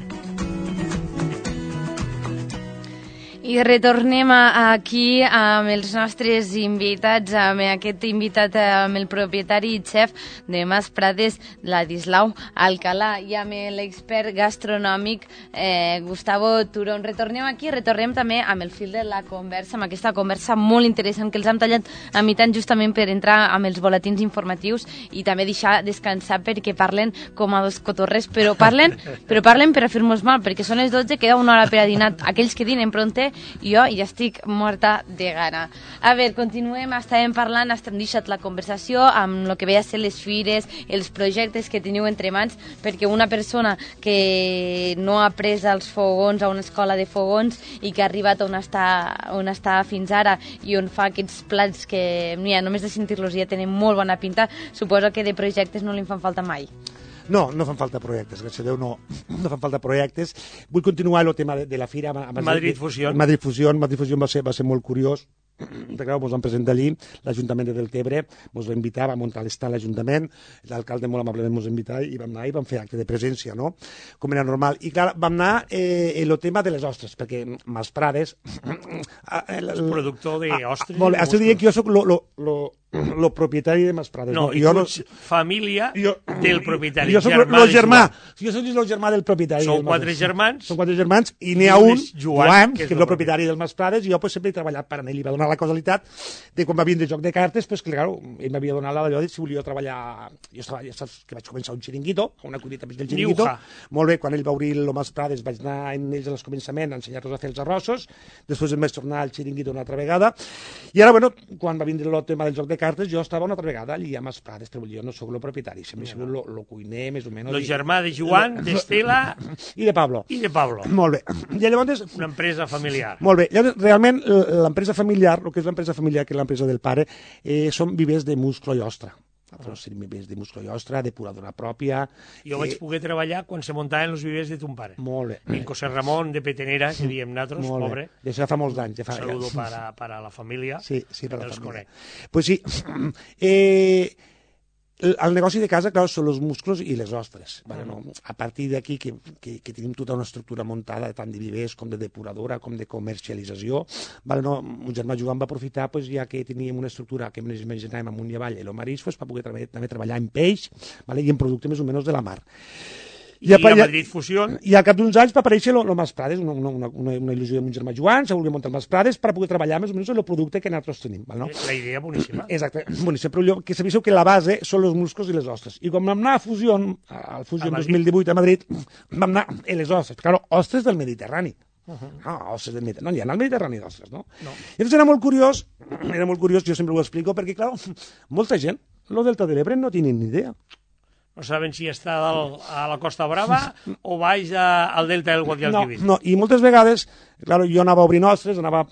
I retornem aquí amb els nostres invitats, amb aquest invitat, amb el propietari i xef de Mas Prades, Ladislau Alcalà, i amb l'expert gastronòmic eh, Gustavo Turón. Retornem aquí, retornem també amb el fil de la conversa, amb aquesta conversa molt interessant que els hem tallat a mitjan justament per entrar amb els boletins informatius i també deixar descansar perquè parlen com a dos cotorres, però parlen, però parlen per a fer-nos mal, perquè són les dotze, queda una hora per a dinar. Aquells que dinen pronte, jo ja estic morta de gana. A veure, continuem, estàvem parlant, estem deixat la conversació amb el que ve a ser les fires, els projectes que teniu entre mans, perquè una persona que no ha pres els fogons a una escola de fogons i que ha arribat on està, on està fins ara i on fa aquests plats que, mira, només de sentir-los ja tenen molt bona pinta, suposo que de projectes no li fan falta mai. No, no fan falta projectes, gràcies a Déu, no, no fan falta projectes. Vull continuar el tema de, de la fira. Madrid Fusió. Madrid Fusió, Madrid Fusió va ser, va ser molt curiós. Clar, ens vam presentar allí, l'Ajuntament de Deltebre ens va invitar, va muntar l'estat a l'Ajuntament, l'alcalde molt amablement ens va invitar i vam anar i vam fer acte de presència, no? Com era normal. I clar, vam anar eh, en el tema de les ostres, perquè Mas Prades... El, el productor d'ostres. Molt bé, estic dient que jo soc lo, lo, lo, lo propietari de Mas Prades. No, no? i jo tu no... ets família jo, del propietari. Jo soc el germà. Jo soc el germà del propietari. Són quatre germans. Són quatre germans i n'hi ha un, Joan, Joan, que és el el propietari del Mas Prades, i jo pues, sempre he treballat per a ell. I va donar la casualitat de quan va vindre joc de cartes, pues, que, clar, ell m'havia donat la d'allò de si volia treballar... Jo estava, ja saps que vaig començar un xiringuito, una collita més del xiringuito. Molt bé, quan ell va obrir el Mas Prades vaig anar en ells al començament a ensenyar-los a fer els arrossos, després em vaig tornar al xiringuito una altra vegada, i ara, bueno, quan va vindre el tema del joc de cartes, jo estava una altra vegada allí a Mas Prades, però jo no sóc el propietari, sempre he sigut el cuiner, més o menys. El germà de Joan, d'Estela... I de Pablo. I de Pablo. Molt bé. I llavors... Una empresa familiar. Molt bé. Llavors, realment, l'empresa familiar, el que és l'empresa familiar, que és l'empresa del pare, eh, són vivers de musclo i ostra. Nosaltres tenim vivers de musclo i ostra, depuradora pròpia... Jo eh... vaig poder treballar quan se muntaven els vivers de ton pare. Molt bé. En José Ramon de Petenera, que diem nosaltres, molt pobre. Bé. D'això ja fa molts anys. Ja fa... Saludo para, para la família. Sí, sí, per la els família. Conec. Pues sí. Eh... El negoci de casa, clar, són els musclos i les ostres. Vale, no? A partir d'aquí, que, que, que tenim tota una estructura muntada, tant de vivers com de depuradora, com de comercialització, vale, no? Un germà Joan va aprofitar, pues, ja que teníem una estructura que ens imaginàvem amunt i avall, el marisc, pues, per poder també, també treballar en peix, vale? I en producte més o menys de la mar. I, I a Madrid Fusió... I al cap d'uns anys va aparèixer el Mas Prades, una, una, una, una il·lusió de mon germà Joan, se volia muntar el Mas Prades per poder treballar més o menys el producte que nosaltres tenim. Val, no? La idea boníssima. Exacte, boníssima, però jo, que sabéssiu que la base són els musclos i les ostres. I quan vam anar a Fusió, al Fusió dos mil divuit a Madrid, vam anar a les ostres, claro, ostres del Mediterrani. Uh -huh. No, ostres del Mediterrani, no hi ha al Mediterrani d'ostres, no? no? I llavors era molt curiós, era molt curiós, jo sempre ho explico, perquè, clar, molta gent, el Delta de l'Ebre no tenen ni idea. No saben si està dalt a la Costa Brava o baix a, al Delta del Guadalquivir. No, no, i moltes vegades, claro, jo anava a obrir nostres, anava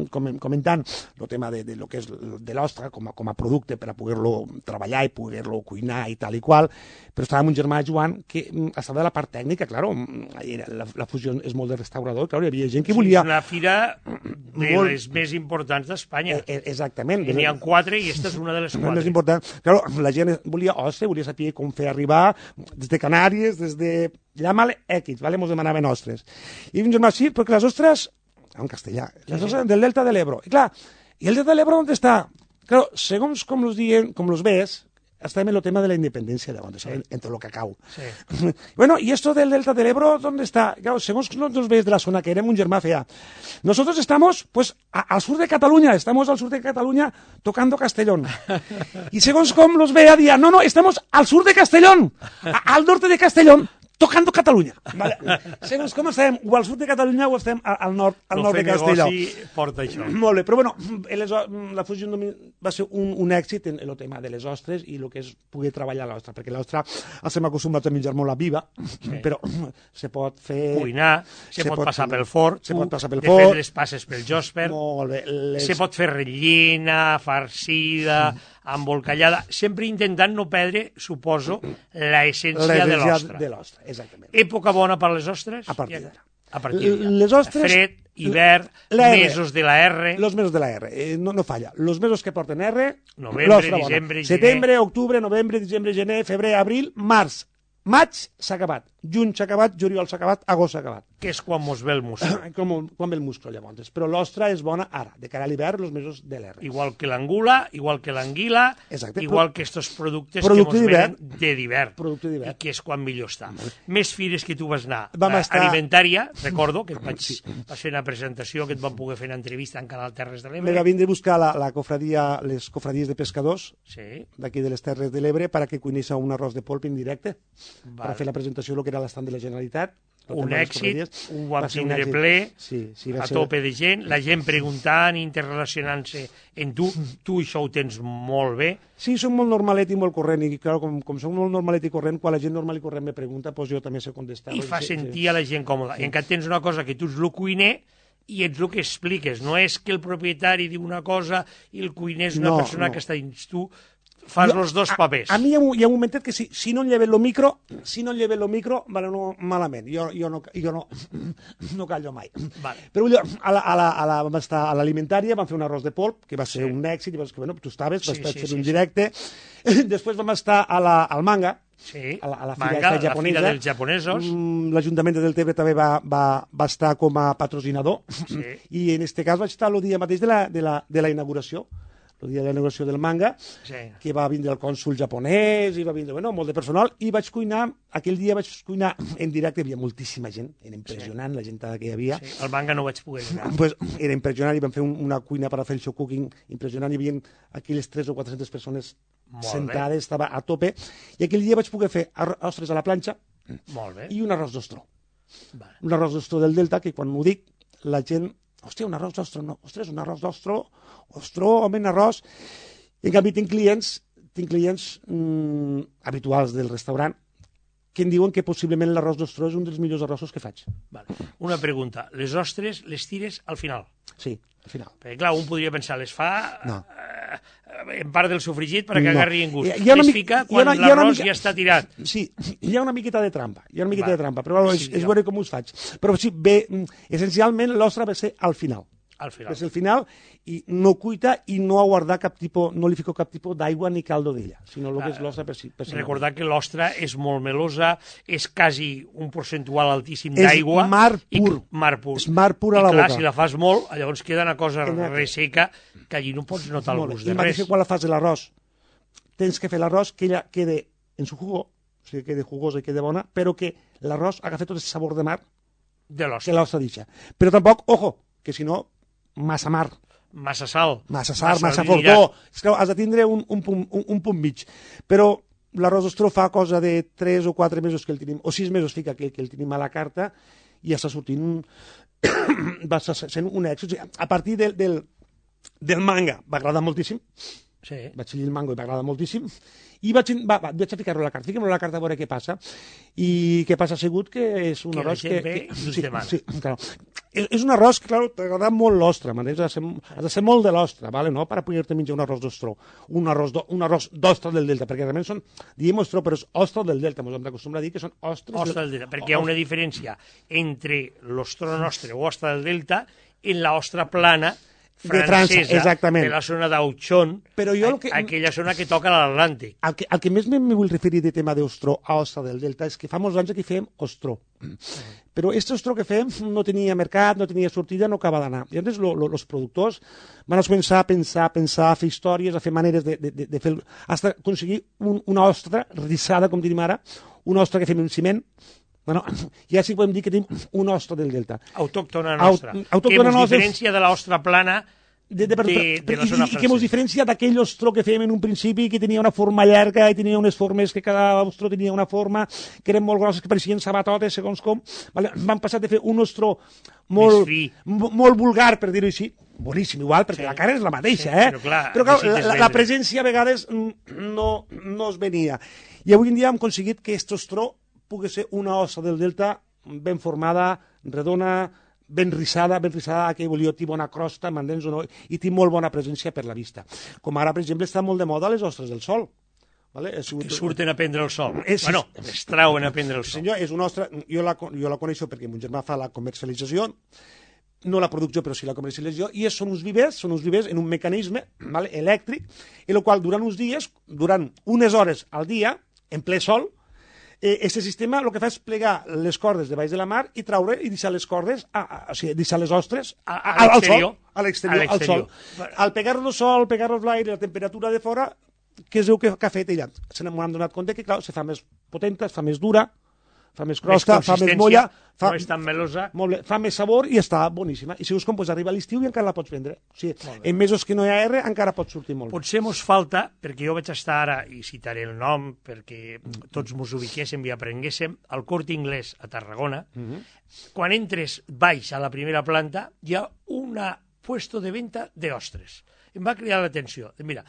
comentant el tema de, de lo que és de l'ostra com a, com a producte per a poder-lo treballar i poder-lo cuinar i tal i qual, però estava amb un germà Joan que estava de la part tècnica, claro, la, la fusió és molt de restaurador, claro, hi havia gent que volia... És una fira de molt... les més importants d'Espanya. Eh, exactament. N'hi ha quatre i aquesta és una de les quatre. Més important. Claro, la gent volia ostre, volia saber com fer arribar des de Canàries, des de... Llámale X, ¿vale? Mos demanaven ostres. I un germà, sí, perquè les ostres... en castellà, les ostres del Delta de l'Ebro. I clar, i el Delta de l'Ebro on està? Claro, segons com los diuen, com los ves, estem en el tema de la independencia de donde, sí. Entre lo cacao. Sí. Bueno, ¿y esto del Delta del Ebro dónde está? Claro, según los ves de la zona que éramos, un germà fea. Nosotros estamos, pues, a, al sur de Cataluña, estamos al sur de Cataluña tocando Castellón. Y según com los vea, día, no, no, estamos al sur de Castellón, a, al norte de Castellón, tocando Catalunya. Vale. Segons com estem, o al sud de Catalunya o estem al nord, al nord de Castelló. El fer negoci porta això. Molt bé, però bueno, les, la fusió va ser un, un èxit en el tema de les ostres i el que és poder treballar l'ostra, perquè l'ostra estem acostumats a menjar molt a viva, sí. però se pot fer... Cuinar, se, se pot, pot passar pel forn, se pot passar pel de forn, fet les passes pel jòsper, molt bé, les... se pot fer rellena, farcida... Mm. embolcallada, sempre intentant no perdre, suposo, la essència de l'ostra. de l'ostra, exactament. Època bona per les ostres? A partir d'ara. A partir d'ara. Les ostres... Fred, hivern, mesos de la R... Los mesos de la R, eh, no, no falla. Los mesos que porten R... Novembre, diciembre, gener... Setembre, octubre, novembre, diciembre, gener, febrer, abril, març. Maig s'ha acabat, juny s'ha acabat, juliol s'ha acabat, agost s'ha acabat. Que és quan mos ve el muscle. Com, quan ve el muscle, llavors. Però l'ostra és bona ara, de cara a l'hivern, els mesos de l'R. Igual que l'angula, igual que l'anguila, igual que estos productes producte que mos venen de d'hivern. Producte d'hivern. I que és quan millor està. Més fires que tu vas anar. Vam estar... Alimentària, recordo, que et vaig, sí. vaig fer una presentació, que et van poder fer una entrevista en Canal Terres de l'Ebre. Me va vindre a buscar la, la cofradia, les cofradies de pescadors sí. d'aquí de les Terres de l'Ebre para que cuinés un arròs de polp en directe, vale. per fer la presentació del que era l'estand de la Generalitat. Un èxit, ho vam tindre ple, sí, sí, a ser... tope de gent, la gent preguntant, interrelacionant-se en tu, tu això ho tens molt bé. Sí, soc molt normalet i molt corrent, i clar, com, com soc molt normalet i corrent, quan la gent normal i corrent me pregunta, doncs jo també sé contestar. I fa sí, sentir sí. a la gent còmoda. Sí. En canvi tens una cosa que tu ets el cuiner i ets el que expliques, no és que el propietari diu una cosa i el cuiner és una no, persona no. que està dins tu. Fas els dos papers. A, a mi hi ha, un, hi ha un momentet que si, si no lleve el micro, si no lleve el micro, vale, no, malament. Jo, jo, no, jo no, no callo mai. Vale. Però a la, a la, a la, vam estar a l'alimentària, vam fer un arròs de polp, que va ser sí. un èxit, i vas, que, bueno, tu estaves, vas sí, sí, sí, fer un sí, directe. Sí. Després vam estar a la, al Manga, sí. a la, a la fira, Manga, japonesa. La fira dels japonesos. L'Ajuntament de Deltebre també va, va, va estar com a patrocinador, sí. i en aquest cas vaig estar el dia mateix de la, de la, de la inauguració. El dia de la inauguració del Manga, sí. que va vindre el cònsul japonès, i va vindre bueno, molt de personal, i vaig cuinar, aquell dia vaig cuinar en directe, hi havia moltíssima gent, era impressionant sí. la gent que hi havia. Sí. El Manga no vaig poder anar. Pues, era impressionant, i vam fer un, una cuina per a fer el show cooking impressionant, hi havia aquelles tres o quatre-centes persones molt sentades, bé. Estava a tope, i aquell dia vaig poder fer ostres a la planxa molt bé. I un arròs d'ostro. Vale. Un arròs d'ostro del Delta, que quan ho dic, la gent... Hòstia, un arròs d'ostro, no. Ostres, un arròs d'ostro, ostro, home, un arròs... I en canvi tinc clients, tinc clients mmm, habituals del restaurant que em diuen que possiblement l'arròs d'ostro és un dels millors arrossos que faig. Vale. Una pregunta, les ostres les tires al final? Sí, al final. Perquè clar, un podria pensar, les fa no. eh, en part del sofregit perquè no. agarri en gust. Hi ha les mica, fica quan l'arròs mica... ja està tirat. Sí, hi ha una miqueta de trampa, hi ha una miqueta vale. de trampa, però és, sí, és veure com us faig. Però sí, bé, essencialment l'ostra va ser al final. Al final. És el final, i no cuita i no a guardar cap tipus, no li fico cap tipus d'aigua ni caldo d'ella, sinó el que és l'ostra per si. Per si Recordar no. que l'ostra és molt melosa, és quasi un percentual altíssim d'aigua. És mar pur. I, mar pur. És mar pur a la I clar, boca. si la fas molt, llavors queda una cosa resseca que allí no pots notar el gust de res. I quan la fas de l'arròs, tens que fer l'arròs que ella quede en su jugo, o sigui, que quede jugosa i quede bona, però que l'arròs agafi tot el sabor de mar de l'ostra. Que l'ostra deixa. Però tampoc, ojo, que si no, massa mar. Massa sal. Massa sal, massa, massa fortó. És que has de tindre un, un, punt, un, un punt mig. Però l'arròs d'ostro fa cosa de tres o quatre mesos que el tenim, o sis mesos fica que, que el tenim a la carta, i ja està sortint un... va sent un èxit. A partir del, del, del Manga va agradar moltíssim. Sí. Vaig llegir el Mango i va agradar moltíssim. I vaig, va, va, vaig a ficar-lo a la carta. Fiquem-lo a la carta a veure què passa. I què passa ha sigut que és un que arròs que... que sí, sí, claro. És, és un arròs que, clar, t'agrada molt l'ostra. Has de ser, has de ser molt de l'ostra, ¿vale? No? Per a poder-te menjar un arròs d'ostro. Un arròs, do, un arròs d'ostra del Delta, perquè realment són, diem ostro, però és ostra del Delta. Ens hem d'acostumar a dir que són ostres... Ostra del Delta, perquè hi ha una diferència entre l'ostro nostre o ostra del Delta en la ostra plana francesa, de, França, exactament. De la zona d'Auchon, que... aquella zona que toca l'Atlàntic. El que, el que més me vull referir de tema d'ostro a ostra del Delta és que fa molts anys que fem ostro. Mm. Però aquest ostro que fem no tenia mercat, no tenia sortida, no acaba d'anar. I llavors els productors van començar a pensar, a pensar, a fer històries, a fer maneres de, de, de, de fer... Hasta aconseguir un, una ostra rissada, com diríem ara, una ostra que fem en ciment. Bueno, ja sí podem dir que tenim una ostra del Delta. Autòctona nostra. Aut autòctona que ens diferència de l'ostra plana de, de, de, de, de la i, zona i que ens francesa. diferencia d'aquell ostro que fèiem en un principi, que tenia una forma llarga i tenia unes formes, que cada ostro tenia una forma, que eren molt grosses, que pareixien sabatotes, segons com. Vale? Van passar de fer un ostro molt, molt vulgar, per dir-ho així, boníssim, igual, perquè sí, la cara és la mateixa, sí, eh? Però clar, però, clar la, la presència a vegades no, no es venia. I avui en dia hem aconseguit que aquest ostró pugui ser una ossa del delta ben formada, redona, ben rissada, ben rissada, que volia dir bona crosta, m'entens o no, i té molt bona presència per la vista. Com ara, per exemple, està molt de moda les ostres del sol. Vale? Que surten a prendre el sol. És, bueno, es trauen a prendre el sol. Senyor, és una ostra, jo la, jo la coneixo perquè mon germà fa la comercialització, no la producció, però sí la comercialització, i són uns vivers, són uns vivers en un mecanisme, vale, elèctric, en el qual durant uns dies, durant unes hores al dia, en ple sol, aquest eh, sistema el que fa és plegar les cordes de baix de la mar i traure i deixar les cordes, a, a, o sigui, deixar les ostres a, a, a, al sol, a l'exterior, al sol. Al pegar-lo al sol, pegar-lo l'aire, la temperatura de fora, què es diu que, que ha fet ella? Se n'han donat compte que, clar, se fa més potenta, es fa més dura, fa més crosta, més fa més molla, fa, no és tan melosa, molt bé, fa més sabor i està boníssima. I si us com, pues, arriba l'estiu i encara la pots vendre. O sigui, en mesos que no hi ha R encara pot sortir molt. Potser mos falta, perquè jo vaig estar ara, i citaré el nom, perquè tots mos ubiquéssim i aprenguéssim, al Corte Inglés a Tarragona, uh -huh. Quan entres baix a la primera planta, hi ha un puesto de venta d'ostres. Em va cridar l'atenció. Mira,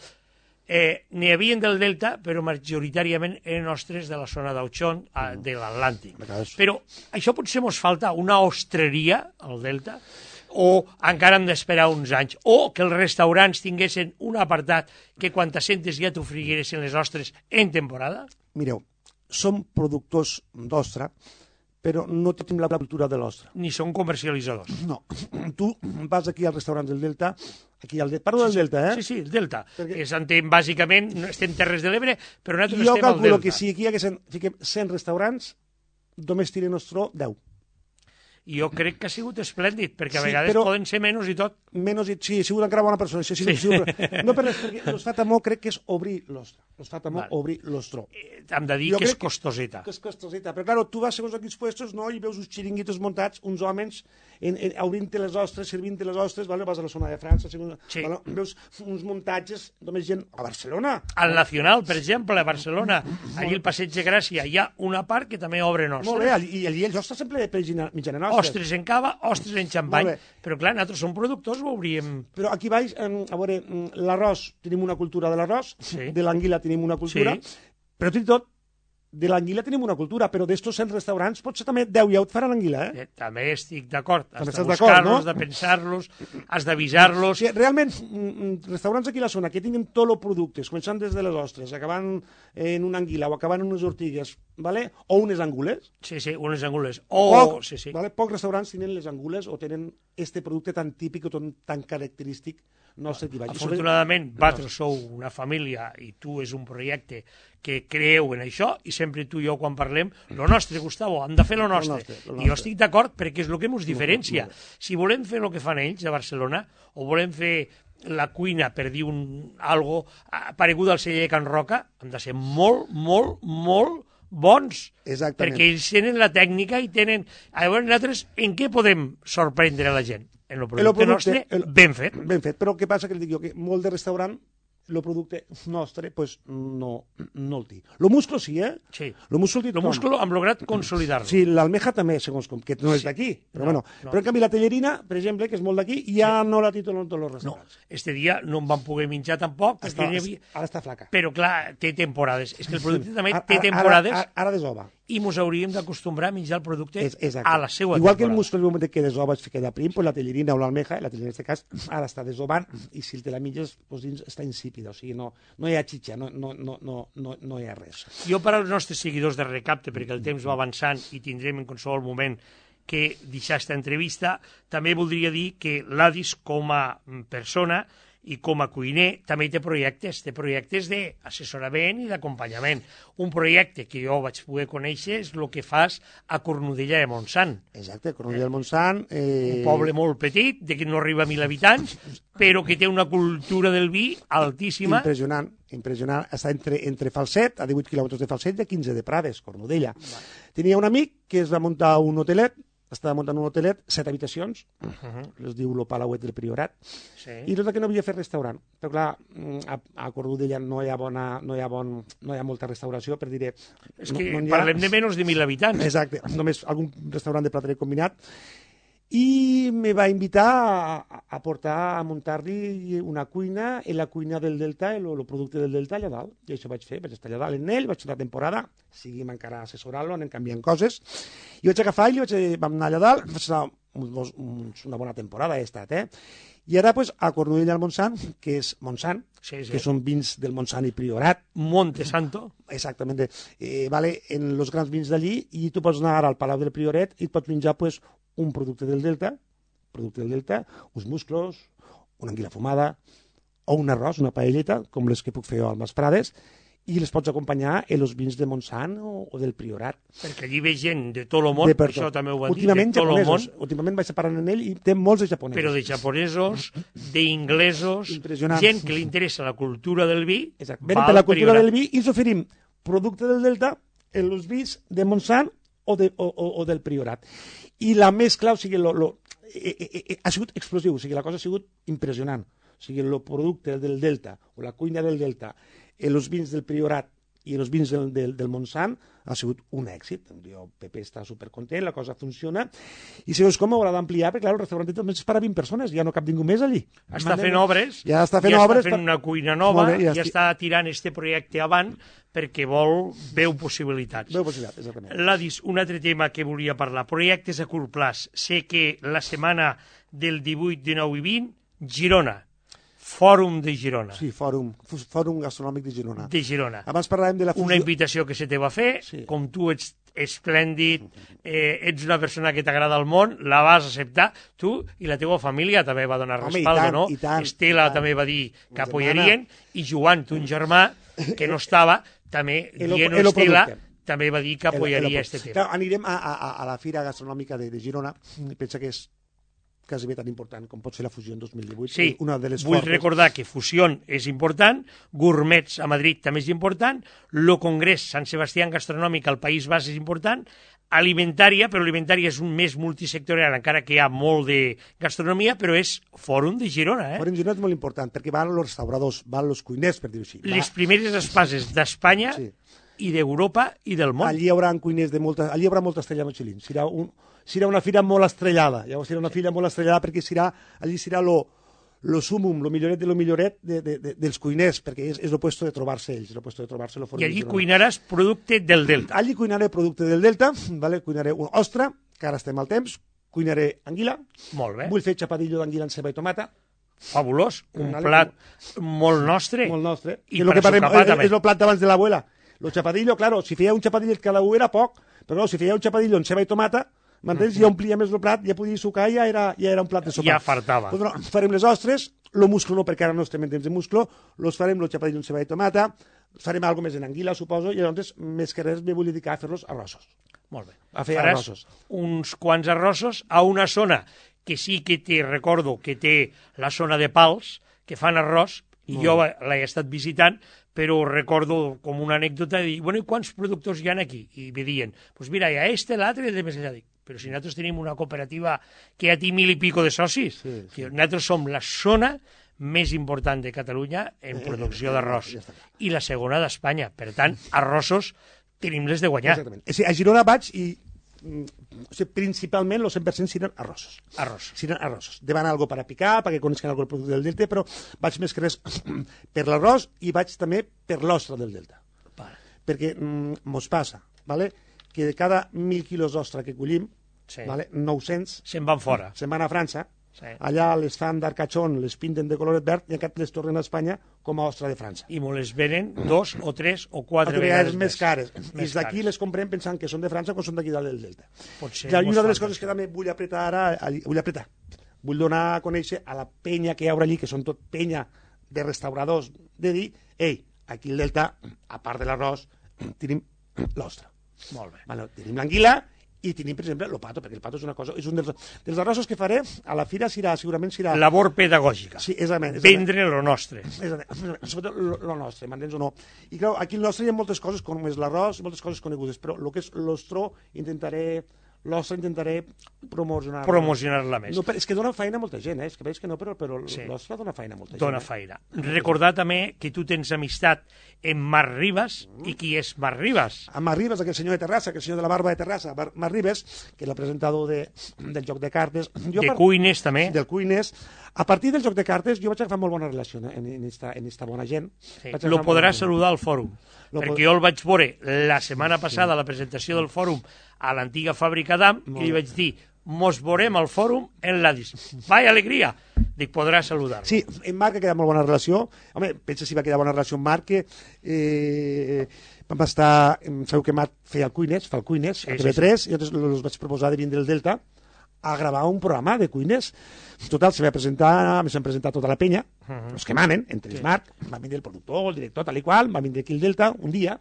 Eh, n'hi havia del Delta, però majoritàriament eren ostres de la zona d'Auchon, mm. de l'Atlàntic. Però això potser mos falta una ostreria al Delta, o encara hem d'esperar uns anys, o que els restaurants tinguessin un apartat que quan t'assentes ja t'ofriguessin les ostres en temporada? Mireu, som productors d'ostra, però no tenim la cultura de l'ostra. Ni són comercialitzadors. No. Tu vas aquí al restaurant del Delta, aquí al Delta, parlo del Delta, eh? Sí, sí, el Delta. Perquè... És, entenc, bàsicament, estem Terres de l'Ebre, però nosaltres jo estem al Delta. Jo calculo que si aquí hi haguessin, fiquem cent restaurants, només tiren ostró deu. I jo crec que ha sigut esplèndid, perquè a sí, vegades poden ser menys i tot. Menys i... Sí, ha sigut encara bona persona. Sí, sí. Sí. No per res, perquè els fa temor crec que és obrir l'ostra. Els fa temor vale. obrir l'ostró. Eh, hem de dir jo que és costoseta. Que és costoseta. Però, clar, tu vas segons aquells puestos, no?, i veus uns xiringuitos muntats, uns homes en, en, obrint-te les ostres, servint-te les ostres, vale? Vas a la zona de França, segons, sí. vale? Veus uns muntatges, només gent a Barcelona. Al Nacional, per exemple, a Barcelona, allí al Passeig de Gràcia, hi ha una part que també obren ostres. Molt bé, i allí els ostres sempre mitjana nostra. Ostres en cava, ostres en xampany. Però, clar, nosaltres som productors, ho obríem... Però aquí baix, a veure, l'arròs, tenim una cultura de l'arròs, sí. de l'anguila tenim una cultura, sí. però tot i tot, de l'anguila tenim una cultura, però d'estos cent restaurants potser també deu ja et faran l'anguila, eh? eh? També estic d'acord. Has de buscar-los, no? de pensar-los, has d'avisar-los... Sí, realment, restaurants aquí a la zona que tinguin tots els productes, començant des de les ostres, acabant en una anguila o acabant en unes ortigues, ¿vale? O unes angules. Sí, sí, unes angules. O... Poc, sí, sí. ¿vale? Pocs restaurants tenen les angules o tenen este producte tan típic o tan característic nostre aquí baix. Afortunadament, vosaltres sou una família i tu és un projecte que creu en això i sempre tu i jo quan parlem, lo nostre, Gustavo, hem de fer lo nostre. Lo nostre, lo nostre. I jo estic d'acord perquè és el que ens diferencia. Si volem fer el que fan ells a Barcelona o volem fer la cuina, per dir un, algo paregut al celler de Can Roca, hem de ser molt, molt, molt bons. Exactament. Perquè ells tenen la tècnica i tenen... A veure, nosaltres en què podem sorprendre la gent? En el producte, el producte nostre, el, ben fet. Ben fet, però què passa que li dic jo? Que molt de restaurant el producte nostre pues, no, no el té. El musclo sí, eh? Sí. El musclo, el musclo hem lograt consolidar-lo. Sí, l'almeja també, segons com, que no és d'aquí. Però, no, bueno, no. però en canvi la tellerina, per exemple, que és molt d'aquí, ja sí. no la titulen tots els restaurants. No, este dia no en van poder menjar tampoc. Està, havia... Ara està flaca. Però clar, té temporades. És que el producte també ara, té temporades. Ara, ara, ara desova. I ens hauríem d'acostumbrar a menjar el producte és, a la seva Igual temporada. que el musclo, en el moment que desova es queda prim, pues la tellerina o l'almeja, la tellerina en aquest cas, ara està desovant, i si te la menges, pues, dins està insípida, o sigui, no, no hi ha xitxa, no, no, no, no, no, no hi ha res. Jo per als nostres seguidors de Recapte, perquè el temps va avançant i tindrem en qualsevol moment que deixar aquesta entrevista, també voldria dir que l'Adis com a persona i com a cuiner també té projectes, té projectes d'assessorament i d'acompanyament. Un projecte que jo vaig poder conèixer és el que fas a Cornudella de Montsant. Exacte, Cornudella de Montsant. Eh... Un poble molt petit, de que no arriba a mil habitants, però que té una cultura del vi altíssima. Impressionant, impressionant. Està entre, entre Falset, a divuit quilòmetres de Falset, i a quinze de Prades, Cornudella. Vale. Tenia un amic que es va muntar un hotelet, estava muntant un hotelet, set habitacions, Uh -huh. es diu Lo Palauet del Priorat, Sí. i resulta que no havia fet restaurant. Però clar, a, a Cordudella no hi ha bona, no hi ha bon, no hi ha molta restauració, per dir... És que no, no parlem de menys de mil habitants. Exacte, només algun restaurant de plater combinat, i me va invitar a, a portar, a muntar-li una cuina en la cuina del Delta, el, el producte del Delta allà dalt. I això vaig fer, vaig estar allà dalt en ell, vaig fer una temporada, seguim encara assessorant-lo, anem canviant coses, i vaig agafar i vaig, vam anar allà dalt, vaig estar un, un, una bona temporada he estat, eh? I ara, pues, a Cornudella al Montsant, que és Montsant, Sí, sí. que són vins del Montsant i Priorat, Monte Santo. exactament, eh, vale, en els grans vins d'allí, i tu pots anar al Palau del Priorat i et pots menjar, pues, un producte del Delta, producte del Delta, uns musclos, una anguila fumada, o un arròs, una paelleta, com les que puc fer jo al Mas Prades, i les pots acompanyar en els vins de Montsant o, o del Priorat. Perquè allí ve gent de tot el món, De per això tot. també ho van dir, Últimament de tot el món, japonesos, últimament vaig parlant amb ell i té molts de japonesos. però de japonesos, d'inglesos, Impressionant. gent que li interessa la cultura del vi, Exacte. va Venen al per la cultura Priorat. del vi i els oferim producte del Delta en els vins de Montsant o, de, o, o, o del Priorat. I la mescla, o sigui, lo, lo, eh, eh, eh, ha sigut explosiu, o sigui, la cosa ha sigut impressionant. O sigui, el producte del Delta o la cuina del Delta en els vins del Priorat i en els vins del, del, del Montsant ha sigut un èxit. El Pepe està supercontent, la cosa funciona. I segons com haurà d'ampliar, perquè clar, el restaurant només és per a vint persones, ja no cap ningú més allí. Està fent obres, ja està fent, ja obres, està fent una cuina nova, Molt bé, ja, ja està tirant este projecte avant perquè vol, veu possibilitats. Veu possibilitat, exactament. Ladis, un altre tema que volia parlar, projectes a curt plaç. Sé que la setmana del divuit, dinou i vint, Girona, Fòrum de Girona. Sí, fòrum, fòrum gastronòmic de Girona. De Girona. Abans parlàvem de la fusió... Una invitació que se te va fer, Sí. com tu ets esplèndid, eh, ets una persona que t'agrada el món, la vas acceptar, tu i la teva família també va donar Home, i respaldo, tant, no? i tant, Estela i tant. també va dir que Ma apoyarien, i Joan, tu, un germà, que no estava, també, Elo- dient elo Estela, producte. també va dir que apoyaria este tema. Clar, anirem a, a, a la Fira Gastronòmica de, de Girona, pensa que és quasi bé tan important com pot ser la Fusió en dos mil divuit. Sí, una de les vull fortes. recordar que Fusión és important, Gourmets a Madrid també és important, lo Congrés Sant Sebastián Gastronòmic al País Basc és important, alimentària, però alimentària és un més multisectorial, encara que hi ha molt de gastronomia, però és Fòrum de Girona, eh? Fòrum de Girona és molt important, perquè van els restauradors, van els cuiners, per dir-ho així. Va- Les primeres espases d'Espanya Sí. i d'Europa i del món. Allí hi haurà cuiners de molta... Allí hi haurà molta estrella Michelin. Serà, un, serà una fira molt estrellada. Llavors serà una fira molt estrellada perquè serà, allí serà lo, lo sumum, lo milloret de lo milloret de, de, de, dels cuiners, perquè és, és lo puesto de trobar-se ells, lo puesto de trobar-se lo Fòrum I de allí Girona. cuinaràs producte del Delta. Allí cuinaré producte del Delta, vale? Cuinaré un ostra, que ara estem al temps, cuinaré anguila, Molt bé, vull fer xapadillo d'anguila en ceba i tomata, fabulós, un Vale. plat molt nostre. molt nostre. I que és lo per que parlem, sopar és, també. és el plat d'abans de l'abuela. Lo chapadillo, claro, si feia un chapadillo cada un era poc, però no, si feia un chapadillo en ceba i tomata, m'entens? Ja omplia més el plat, ja podia sucar, ja era, ja era un plat de sopa. Ja fartava. Pues no, farem les ostres, lo musclo no, perquè ara no estem en temps de musclo, los farem lo chapadillo en ceba i tomata, farem algo més en anguila, suposo, i llavors, més que res, me vull dedicar a fer-los arrossos. Molt bé. A fer Faràs arrossos. uns quants arrossos a una zona que sí que te recordo que té la zona de Pals, que fan arròs, i jo l'he estat visitant, però recordo com una anècdota de dir, bueno, i quants productors hi ha aquí? I me diuen, pues mira, hi ha este, l'altre, i el de més allà. Dic, però si nosaltres tenim una cooperativa que ja té mil i pico de socis, Sí, sí. que nosaltres som la zona més important de Catalunya en producció d'arròs, ja està. i la segona d'Espanya. Per tant, arrossos tenim les de guanyar. Exactament. O sigui, a Girona vaig i mm, o sigui, principalment el cent per cent seran arrossos. Arròs. Seran arrossos. Devan algo per a picar, perquè coneixen algo del producte del Delta, però vaig més que res per l'arròs i vaig també per l'ostra del Delta. Vale. Perquè mm, mos passa, ¿vale? que de cada mil quilos d'ostra que collim, Sí. ¿vale? nou-cents Se'n van fora. se'n van a França, Sí. allà les fan d'arcachón, les pinten de coloret verd i encara les tornen a Espanya com a ostra de França. I me les venen dos o tres o quatre Altres vegades vegades més cares. I Més d'aquí cares. les comprem pensant que són de França o són d'aquí dalt del Delta. Potser Ja, i mos una de les falta coses que això. també vull apretar ara, allí- vull apretar, vull donar a conèixer a la penya que hi haurà allí, que són tot penya de restauradors, de dir, ei, aquí al Delta, a part de l'arròs, tenim l'ostra. Molt bé. Vale, tenim l'anguila i tenim, per exemple, el pato, perquè el pato és una cosa, és un dels, dels arrossos que faré a la fira, serà, segurament serà... Labor pedagògica. Sí, exactament. exactament. Vendre lo nostre. Exactament. Sobretot el nostre, m'entens o no? I clar, aquí el nostre hi ha moltes coses, com és l'arròs, moltes coses conegudes, però el que és l'ostró intentaré l'ostra intentaré promocionar-la. Promocionar-la més. No, però és que dona feina a molta gent, eh? És que veig que no, però, però Sí. l'ostra dona feina a molta gent. Dona eh? feina. Recordar també que tu tens amistat amb Marc Ribas, i qui és Marc Ribas? A Marc Ribas, aquell senyor de Terrassa, aquell senyor de la barba de Terrassa, Mar- Marc Ribas, que és el presentador de, del joc de cartes. Jo De par- cuines també. Del Cuines. A partir del joc de cartes jo vaig agafar molt bona relació eh, en, en, esta, en esta bona gent. Sí. Vaig Lo agafar podrà molt- saludar al fòrum, Lo perquè pod- jo el vaig veure la setmana passada a la presentació del fòrum a l'antiga fàbrica d'Am i li vaig dir, mos veurem al fòrum en l'Adis. Vaya alegria! Dic, podrà saludar-lo. Sí, en Marc ha quedat molt bona relació. Home, pensa si va quedar bona relació amb Marc, que eh, vam estar... Sabeu que Marc feia el Cuines, fa el Cuines, Sí, a sí, T V tres, i llavors els vaig proposar de vindre el Delta a gravar un programa de cuines. Total, se va presentar, me s'han presentat tota la penya, uh -huh. els que manen, entre ells Marc, va vindre el productor, el director, tal i qual, va vindre aquí el Delta un dia,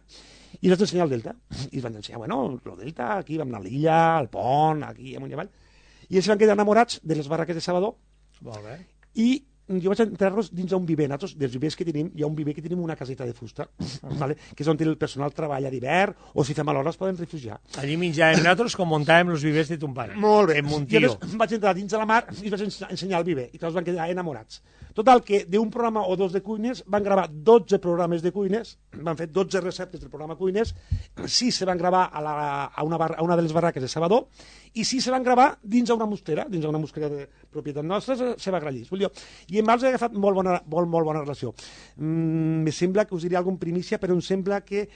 i els vaig ensenyar el Delta. I els van ensenyar, bueno, el Delta, aquí vam anar a l'illa, al pont, aquí, amunt i avall. I ells se van quedar enamorats de les barraques de Salvador, Molt bé. i jo vaig entrar-los dins d'un viver. Nosaltres, dels vivers que tenim, hi ha un viver que tenim una caseta de fusta, vale? Que és on el personal treballa d'hivern, o si fem a l'hora es poden refugiar. Allí menjàvem nosaltres com muntàvem els vivers de ton pare. Molt bé. En I Montió. llavors vaig entrar dins de la mar i els vaig ens- ensenyar el viver, i tots van quedar enamorats. Total, que d'un programa o dos de cuines van gravar dotze programes de cuines, van fer dotze receptes del programa Cuines, sis se van gravar a, la, a, una, bar, a una de les barraques de Salvador, i sis se van gravar dins d'una mosquera, dins d'una mosquera de propietat nostra, se, se va grallís. Vull dir, i amb els he agafat molt bona, molt, molt bona relació. Mm, me sembla que us diré alguna primícia, però em sembla que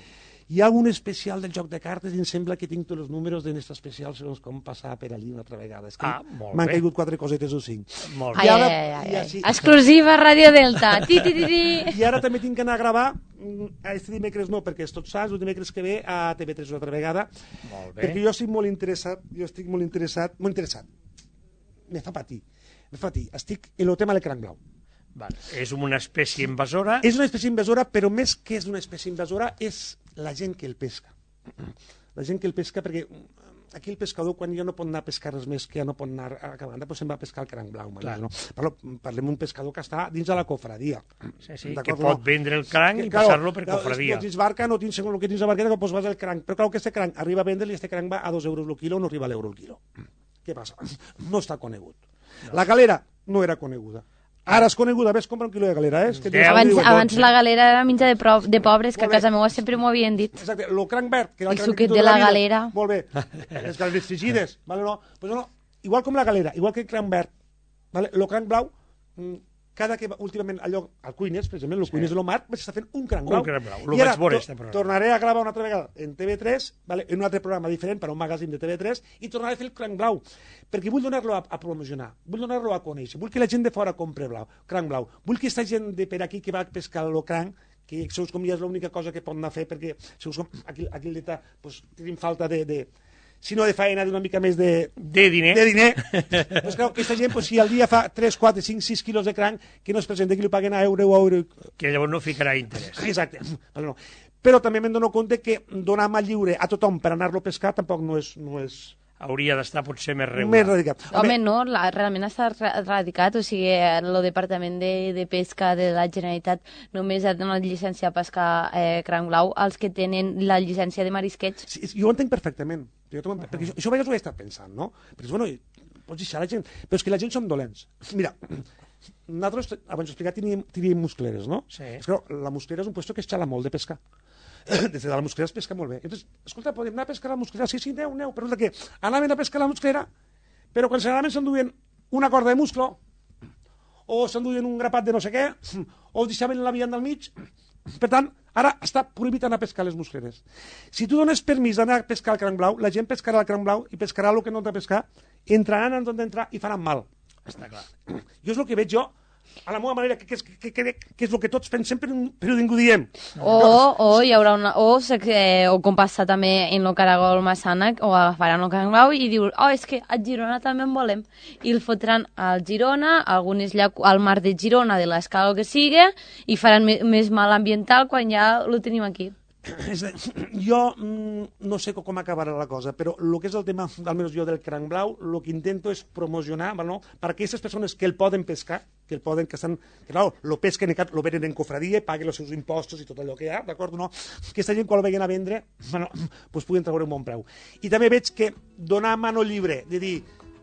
hi ha un especial del joc de cartes i em sembla que tinc tots els números d'aquest especial segons com passar per allí una altra vegada. És que Ah, molt m'han bé. caigut quatre cosetes o cinc. Molt Ai, bé. I ara- ai, ai, i ai. així- Exclusiva Ràdio Delta. Ti, ti, ti, ti. I ara també tinc que anar a gravar, mm, este dimecres no, perquè és Tots Sants, el dimecres que ve a T V tres una altra vegada, Molt bé. perquè jo estic molt interessat, jo estic molt interessat, molt interessat, me fa patir, me fa patir, estic en el tema del cranc blau. Vale. És una espècie invasora. És una espècie invasora, però més que és una espècie invasora, és la gent que el pesca. La gent que el pesca, perquè aquí el pescador, quan ja no pot anar a pescar res més, que ja no pot anar a cada banda, doncs se'n va a pescar el cranc blau. Clar. No? Parlo, parlem d'un pescador que està dins de la cofradia. Sí, sí, que D'acord, pot no? vendre el cranc i claro, passar-lo per claro, cofradia. No tens barca, no tens segons el que tens a barqueta, doncs vas al cranc. Però clar, que este cranc arriba a vendre i este cranc va a dos euros el quilo, no arriba a l'euro el quilo. Què passa? No està conegut. La galera no era coneguda. Ara és coneguda, ves, compra un quilo de galera, eh? És que Deu. tens- Abans, dotze. abans la galera era menja de, pro, de pobres, que a Molt bé. casa meva sempre m'ho havien dit. Exacte, el cranc verd, que era el I cranc suquet que de tota la vida. galera. Molt bé. Les galeres frigides, vale, no? Pues no, igual com la galera, igual que el cranc verd, vale? El cranc blau, mm, cada que va, últimament allò, al Cuines, per exemple, el Sí. Cuines de l'Omar, vaig estar fent un cranc Un blau. cranc blau, lo I ara vaig veure, to- este programa. tornaré a gravar una altra vegada en T V tres, vale? En un altre programa diferent, per a un magazín de T V tres, i tornaré a fer el cranc blau, perquè vull donar-lo a, a promocionar, vull donar-lo a conèixer, vull que la gent de fora compre blau, cranc blau, vull que aquesta gent de per aquí que va a pescar el cranc, que segons com ja és l'única cosa que pot anar a fer, perquè segons com aquí, aquí el Delta pues, tenim falta de, de si no de feina, d'una mica més de, De diner. de diner. Pues clar, aquesta gent, pues, si al dia fa tres, quatre, cinc, sis quilos de cranc, que no es presenta que li paguen a euro o a euro. Que llavors no ficarà interès. Exacte. Vale, no. Però també me'n dono compte que donar mà lliure a tothom per anar-lo a pescar tampoc no és, no és Hauria d'estar potser més més regular. radicat. Home, no, la, realment està ra- radicat, o sigui, el Departament de, de Pesca de la Generalitat només ha donat llicència a pescar eh, cranc blau als que tenen la llicència de marisqueig. Sí, jo ho entenc perfectament. Jo t'ho entenc, perquè això, això a vegades ho he estat pensant, no? Perquè, bueno, pots deixar la gent... Però és que la gent som dolents. Mira, nosaltres, abans ho he explicat, teníem, teníem muscleres, no? Sí. És que la musclera és un puesto que es xala molt de pescar. Des de la musclera es pesca molt bé. Entonces, escolta, podem anar a pescar a la musclera? Sí, sí, aneu, aneu. Però és que anaven a pescar a la musclera, però quan se n'anaven s'enduien una corda de musclo, o s'enduien un grapat de no sé què, o deixaven la vianda al mig. Per tant, ara està prohibit anar a pescar les muscleres. Si tu dones permís d'anar a pescar el cranc blau, la gent pescarà el cranc blau i pescarà el que no ha de pescar, entraran on han d'entrar i faran mal. Està clar. Jo és el que veig jo, a la meva manera, que, que, és- que, que, que és el que tots pensem, però, però ningú diem. O, o hi haurà una... O, se, eh, o com passa també en el Caragol Massana, o agafaran el cranc blau i diuen, oh, és que a Girona també en volem. I el fotran al Girona, a algunes llac al mar de Girona, de l'escala o que sigui, i faran me, més mal ambiental quan ja lo tenim aquí. És de, jo mm, no sé com acabarà la cosa, però el que és el tema, almenys jo, del cranc blau, el que intento és promocionar, no? Per aquestes persones que el poden pescar, que el poden, que estan, que clar, lo pesquen, lo venen en cofradia, paguen els seus impostos i tot allò que hi ha, d'acord? No? Aquesta gent, quan el veguen a vendre, bueno, pues puguen treure un bon preu. I també veig que donar mano lliure, de dir,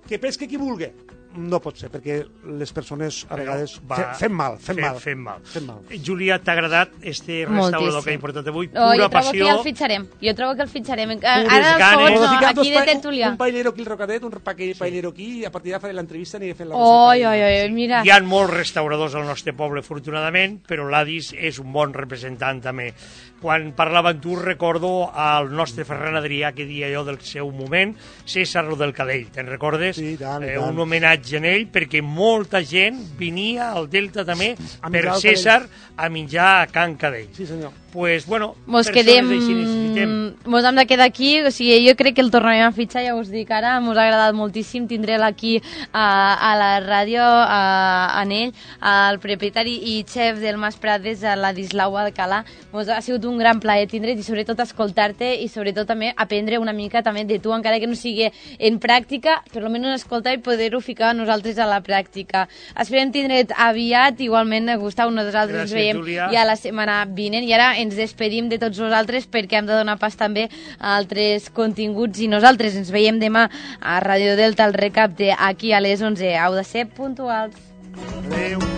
que pesque qui vulgui, no pot ser, perquè les persones a vegades va, fem mal, fem, fem, mal. Fem mal. Fem mal. Júlia, t'ha agradat este restaurador que ha portat avui? Oh, Pura jo trobo passió. que ja el fitxarem. Jo trobo que el fitxarem. Pures Ara, ganes. fons, no, Ficar dos aquí de pa- tertulià. Un, un paellero aquí al Rocadet, un paque- paellero aquí, i a partir d'ara faré l'entrevista i fent la Oi, recepta. oi, oi, mira. Hi ha molts restauradors al nostre poble, afortunadament, però l'Adis és un bon representant també. Quan parlava amb tu recordo al nostre Ferran Adrià, que dia jo del seu moment, César del Cadell, te'n recordes? Sí, i tant, i eh, tant. un homenatge en ell, perquè molta gent venia al Delta també A per menjar al César a menjar a Can Cadell. Sí, senyor. Pues, bueno, Mos persones quedem... així necessitem. Mos hem de quedar aquí, o sigui, jo crec que el tornarem a fitxar, ja us dic ara, mos ha agradat moltíssim tindre'l aquí a, a la ràdio, a, en ell, al propietari i xef del Mas Prades, a la Dislau Alcalà. Mos ha sigut un gran plaer tindre't i sobretot escoltar-te i sobretot també aprendre una mica també de tu, encara que no sigui en pràctica, per almenys escoltar i poder-ho ficar nosaltres a la pràctica. Esperem tindre't aviat, igualment, Gustau, nosaltres Gràcies, ens veiem Júlia. ja la setmana vinent i ara ens despedim de tots vosaltres perquè hem de donar pas també a altres continguts i nosaltres ens veiem demà a Ràdio Delta, el recap de aquí a les onze. Heu de ser puntuals. Adéu.